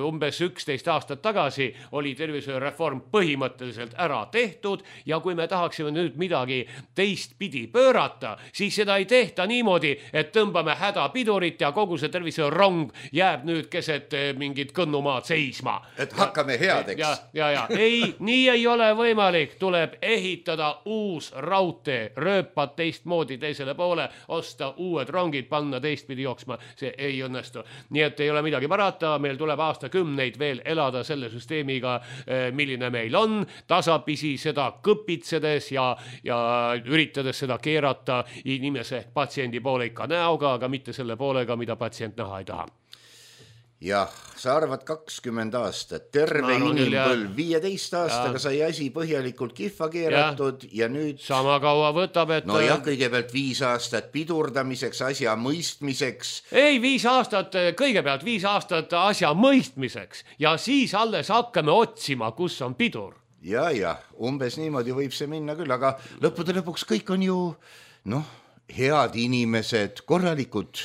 umbes 11 aastat tagasi oli tervishoiureform põhimõtteliselt ära tehtud ja kui me tahaksime nüüd midagi teistpidi pöörata, siis seda ei tehta niimoodi, et tõmbame hädapidurit ja kogu see tervishoiurong jääb nüüd keset mingit kõnnumaad seisma. Et hakkame headeks. Ei, nii ei ole võimalik. Tuleb ehitada uus raudtee, rööpad teistmoodi teisele poole, osta uued rongid, panna teistpidi jooksma. See ei õnnestu. Nii et ei ole midagi parata, meil tuleb aastakümneid veel elada selle süsteemiga, milline meil on, tasapisi seda kõpitsedes ja üritades seda keerata inimese patsiendi poole ikka näoga, aga mitte selle poolega, mida patsient näha ei taha. Jah, sa arvad 20 aastat, terve inimpõlv 15 aastaga sai asi põhjalikult kihva keeratud ja nüüd... Sama kaua võtab, et... No jah, kõigepealt 5 aastat pidurdamiseks, asja mõistmiseks. Ei, 5 aastat, kõigepealt 5 aastat asja mõistmiseks ja siis alles hakkame otsima, kus on pidur. Ja, umbes niimoodi võib see minna küll, aga lõppude lõpuks kõik on ju, head inimesed, korralikud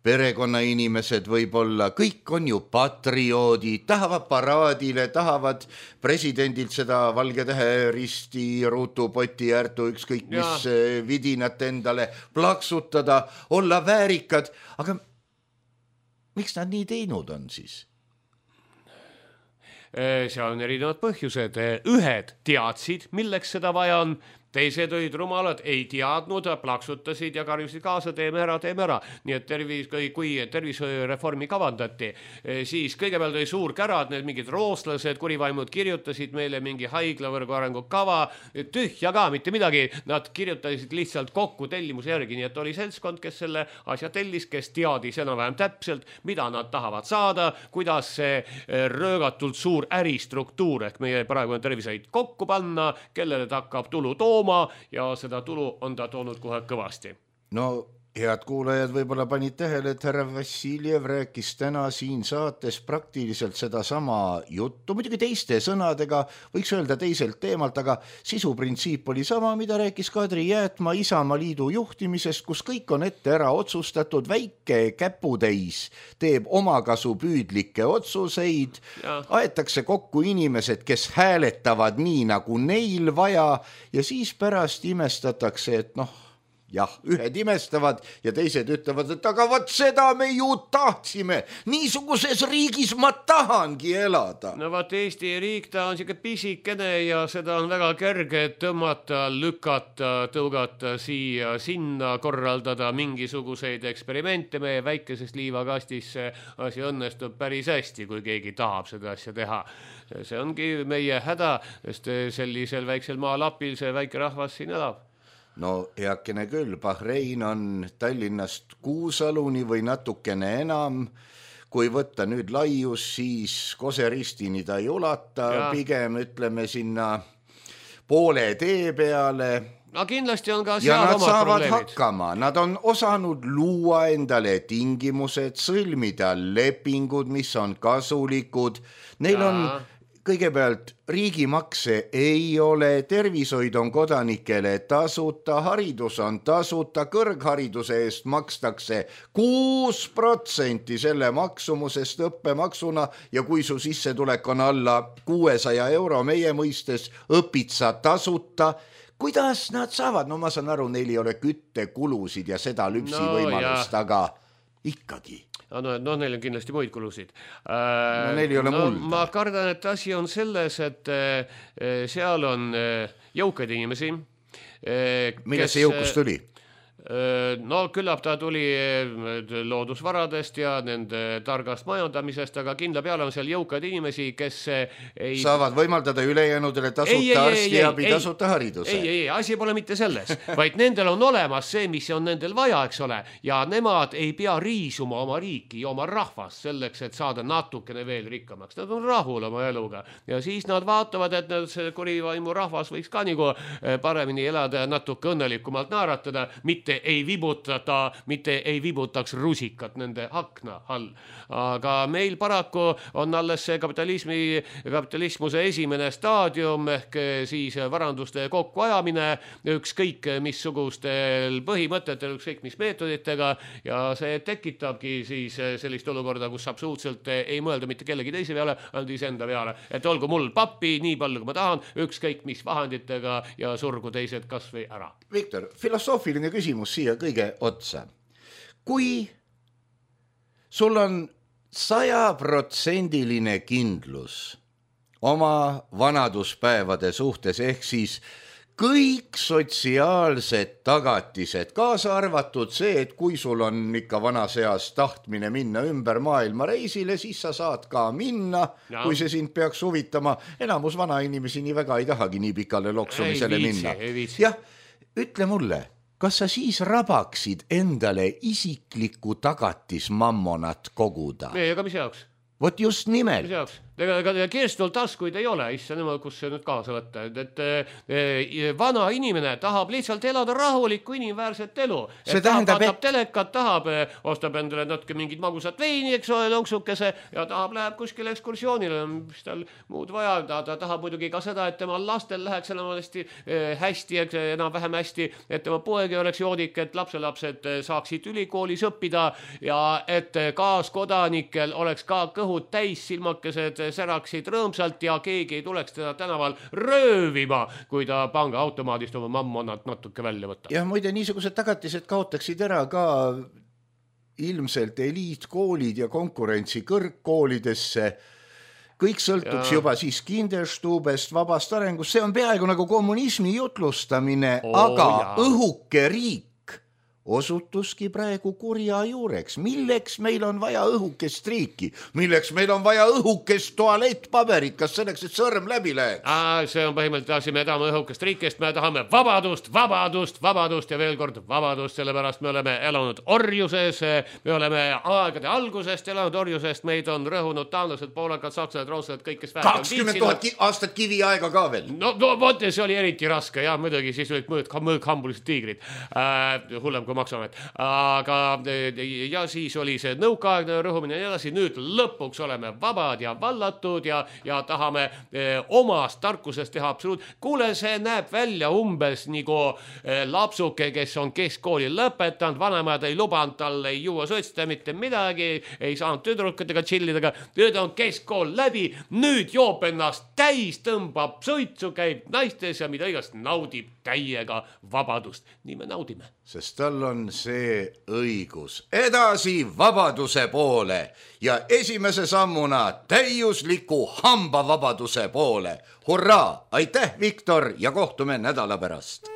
perekonnainimesed võib-olla, kõik on ju patrioodid, tahavad paraadile, tahavad presidendilt seda valge tähe risti, ruutu, poti, ärtu, ükskõik mis vidinat endale plaksutada, olla väärikad, aga miks nad nii teinud on siis? Seal on erinevad põhjused. Ühed teadsid, milleks seda vaja on, teised olid rumalad, ei teadnud, plaksutasid ja karjusid kaasa, teeme ära. Nii et kui tervishoiureformi kavandati, siis kõigepealt oli suur kärad, need mingid rooslased, kurivaimud kirjutasid meile mingi haiglavõrgu arengukava, tühja ka, mitte midagi, nad kirjutasid lihtsalt kokku tellimuse järgi, nii et oli seltskond, kes selle asja tellis, kes teadis enam-vähem täpselt, mida nad tahavad saada, kuidas see röögatult suur äristruktuur ehk meie praegune tervishoid kokku panna, kellele ta hakkab tulu tooma, ja seda tulu on ta toonud kohe kõvasti. No, head kuulajad võib-olla panid tähele, et härra Vassiljev rääkis täna siin saates praktiliselt seda sama juttu, muidugi teiste sõnadega, võiks öelda teiselt teemalt, aga sisuprintsiip oli sama, mida rääkis Kadri Jäätma Isamaa liidu juhtimisest, kus kõik on ette ära otsustatud, väike käputäis teeb omakasupüüdlikke otsuseid, aetakse kokku inimesed, kes hääletavad nii, nagu neil vaja ja siis pärast imestatakse, et ühed imestavad ja teised ütlevad, et aga vot seda me ju tahtsime, niisuguses riigis ma tahangi elada. No vaat Eesti riik, ta on siuke pisikene ja seda on väga kerge tõmmata, lükata, tõugata siia, sinna, korraldada mingisuguseid eksperimente meie väikesest liivakastis. See asi õnnestub päris hästi, kui keegi tahab seda asja teha. See ongi meie häda, sest sellisel väiksel maalapil see väike rahvas siin elab. No heakene küll, Bahrein on Tallinnast Kuusaluni või natukene enam. Kui võtta nüüd laius, siis Koseristini ta ei ulata, pigem ütleme sinna poole tee peale. No kindlasti on ka ja seal nad saavad hakkama, nad on osanud luua endale tingimused, sõlmida lepingud, mis on kasulikud. Neil on kõigepealt riigimakse ei ole, tervishoid on kodanikele tasuta, haridus on tasuta, kõrghariduse eest makstakse 6% selle maksumusest õppemaksuna ja kui su sissetulek on alla 600 euro meie mõistes, õpid sa tasuta. Kuidas nad saavad? No ma saan aru, neil ei ole küttekulusid ja seda lüpsivõimalust, aga ikkagi. No neil on kindlasti muid kulusid. Neil ei ole mulda. Ma kardan, et asi on selles, et seal on jõukaid inimesi. Millest see jõukus tuli? No küllap ta tuli loodusvaradest ja nende targast majandamisest, aga kindla peale on seal jõukad inimesi, kes ei... saavad võimaldada ülejäänudele tasuta arstiabi, tasuta hariduse. Ei, asi pole mitte selles, vaid nendel on olemas see, mis on nendel vaja, eks ole, ja nemad ei pea riisuma oma riiki ja oma rahvast selleks, et saada natukene veel rikkamaks. Nad on rahul oma eluga ja siis nad vaatavad, et see kurivaimu rahvas võiks ka nagu paremini elada ja natuke õnnelikumalt naeratada, mitte ei vibutaks rusikat nende akna all. Aga meil paraku on alles see kapitalismuse esimene staadium ehk siis varanduste kokkuajamine ükskõik missugustel põhimõtetel, ükskõik mis meetoditega ja see tekitabki siis sellist olukorda, kus absoluutselt ei mõelda mitte kellegi teise peale, ainult iseenda peale. Et olgu mul pappi nii palju, kui ma tahan, ükskõik mis vahenditega ja surgu teised kas või ära. Viktor, filosoofiline küsimus siia kõige otsa. Kui sul on 100% kindlus oma vanaduspäevade suhtes, ehk siis kõik sotsiaalsed tagatised, kaasa arvatud see, et kui sul on ikka vanas eas tahtmine minna ümber maailma reisile, siis sa saad ka minna, kui see sind peaks huvitama. Enamus vana inimesi nii väga ei tahagi nii pikale loksumisele minna. Jah, ütle mulle, kas sa siis rabaksid endale isiklikku tagatismammonat koguda? Aga mis jaoks? Vot just nimelt. Mis jaoks? Kirstul taskuid ei ole, issa nemad, kus see nüüd kaasa võtta. Vana inimene tahab lihtsalt elada rahulikku inimväärset elu. See tähendab, tahab telekat, tahab, ostab endale natuke mingid magusat veini, eks ole, lonksukese ja tahab, läheb kuskile ekskursioonile, mis tal muud vaja. Ta tahab muidugi ka seda, et tema lastel läheks hästi, enam-vähem hästi, et tema poegi oleks joodik, et lapselapsed saaksid ülikoolis õppida ja et kaaskodanikel oleks ka kõhud täis, silmakesed säraksid rõõmsalt ja keegi ei tuleks teda tänaval röövima, kui ta pangaautomaadist oma mammonnat natuke välja võtta. Ja muide, niisugused tagatised kaotaksid ära ka ilmselt eliitkoolid ja konkurentsi kõrgkoolidesse. Kõik sõltuks juba siis Kinderstubest, vabast arengust. See on peaaegu nagu kommunismi jutlustamine, aga õhuke riik osutuski praegu kurja juureks. Milleks meil on vaja õhukest riiki? Milleks meil on vaja õhukest tualettpaberit? Kas selleks, et sõrm läbi läheks? See on põhimõtteliselt asi, me tahame õhukest riikist, me tahame vabadust ja veel kord vabadust, sellepärast me oleme elanud orjuses, me oleme aegade algusest elanud orjusest, meid on rõhunud taanlased, poolakad, sakslased, rootslased, kõik, kes 20 000 aastat kivi aega ka veel. No see oli eriti raske, jah, muidugi, siis olid mõõkhambulised tiigrid, hullem kui maksamet. Aga ja siis oli see nõukaaegne rõhumine ja nii edasi. Nüüd lõpuks oleme vabad ja vallatud ja tahame omast tarkusest teha absoluut. Kuule, see näeb välja umbes nagu lapsuke, kes on keskkooli lõpetanud, vanemad ei lubanud talle ei juua sotsida mitte midagi, ei saanud tüdrukatega chillidega, nüüd on keskkool läbi, nüüd joob ennast täis, tõmbab suitsu, käib naistes ja mida igast naudib täiega vabadust. Nii me naudime. Sest tal on see õigus edasi vabaduse poole ja esimese sammuna täiusliku hambavabaduse poole. Hurraa! Aitäh, Viktor, ja kohtume nädala pärast.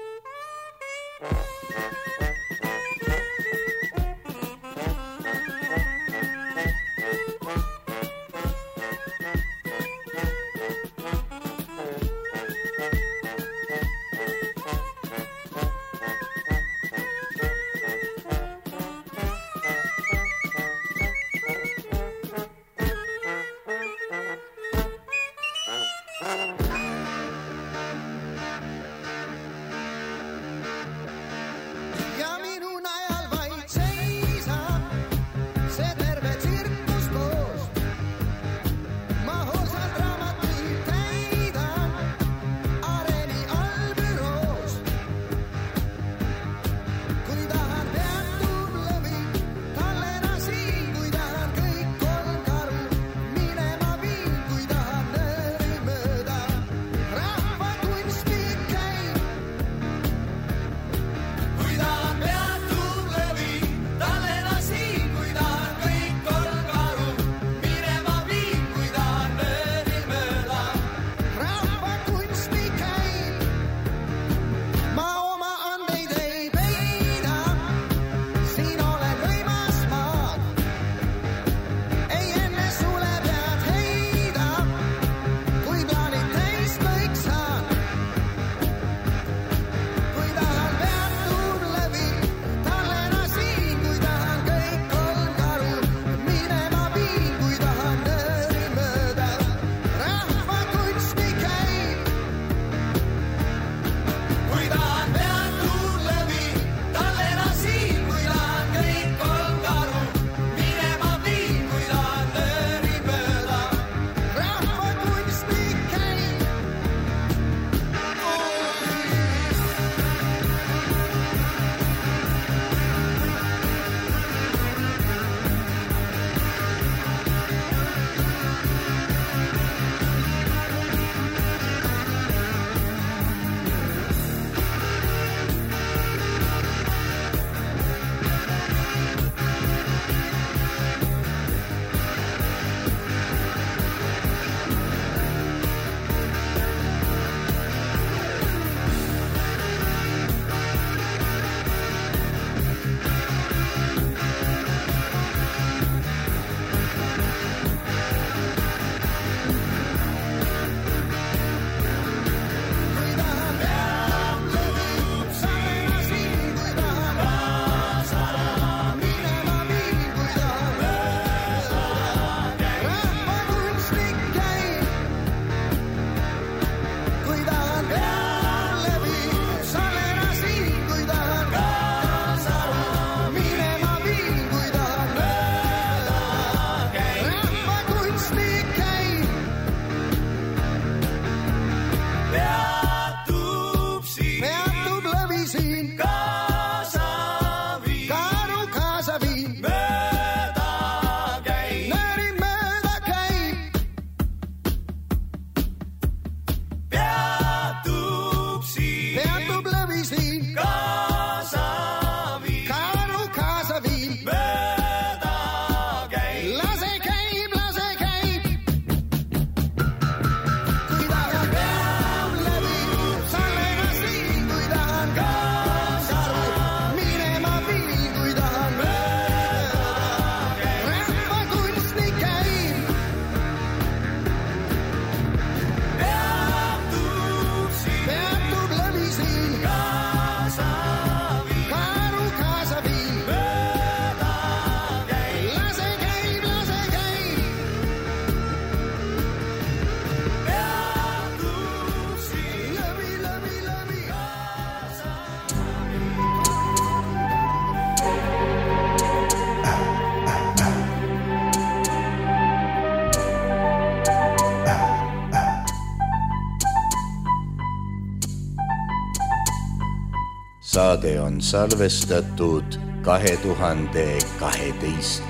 Saade on salvestatud 2012.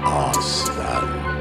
aastal.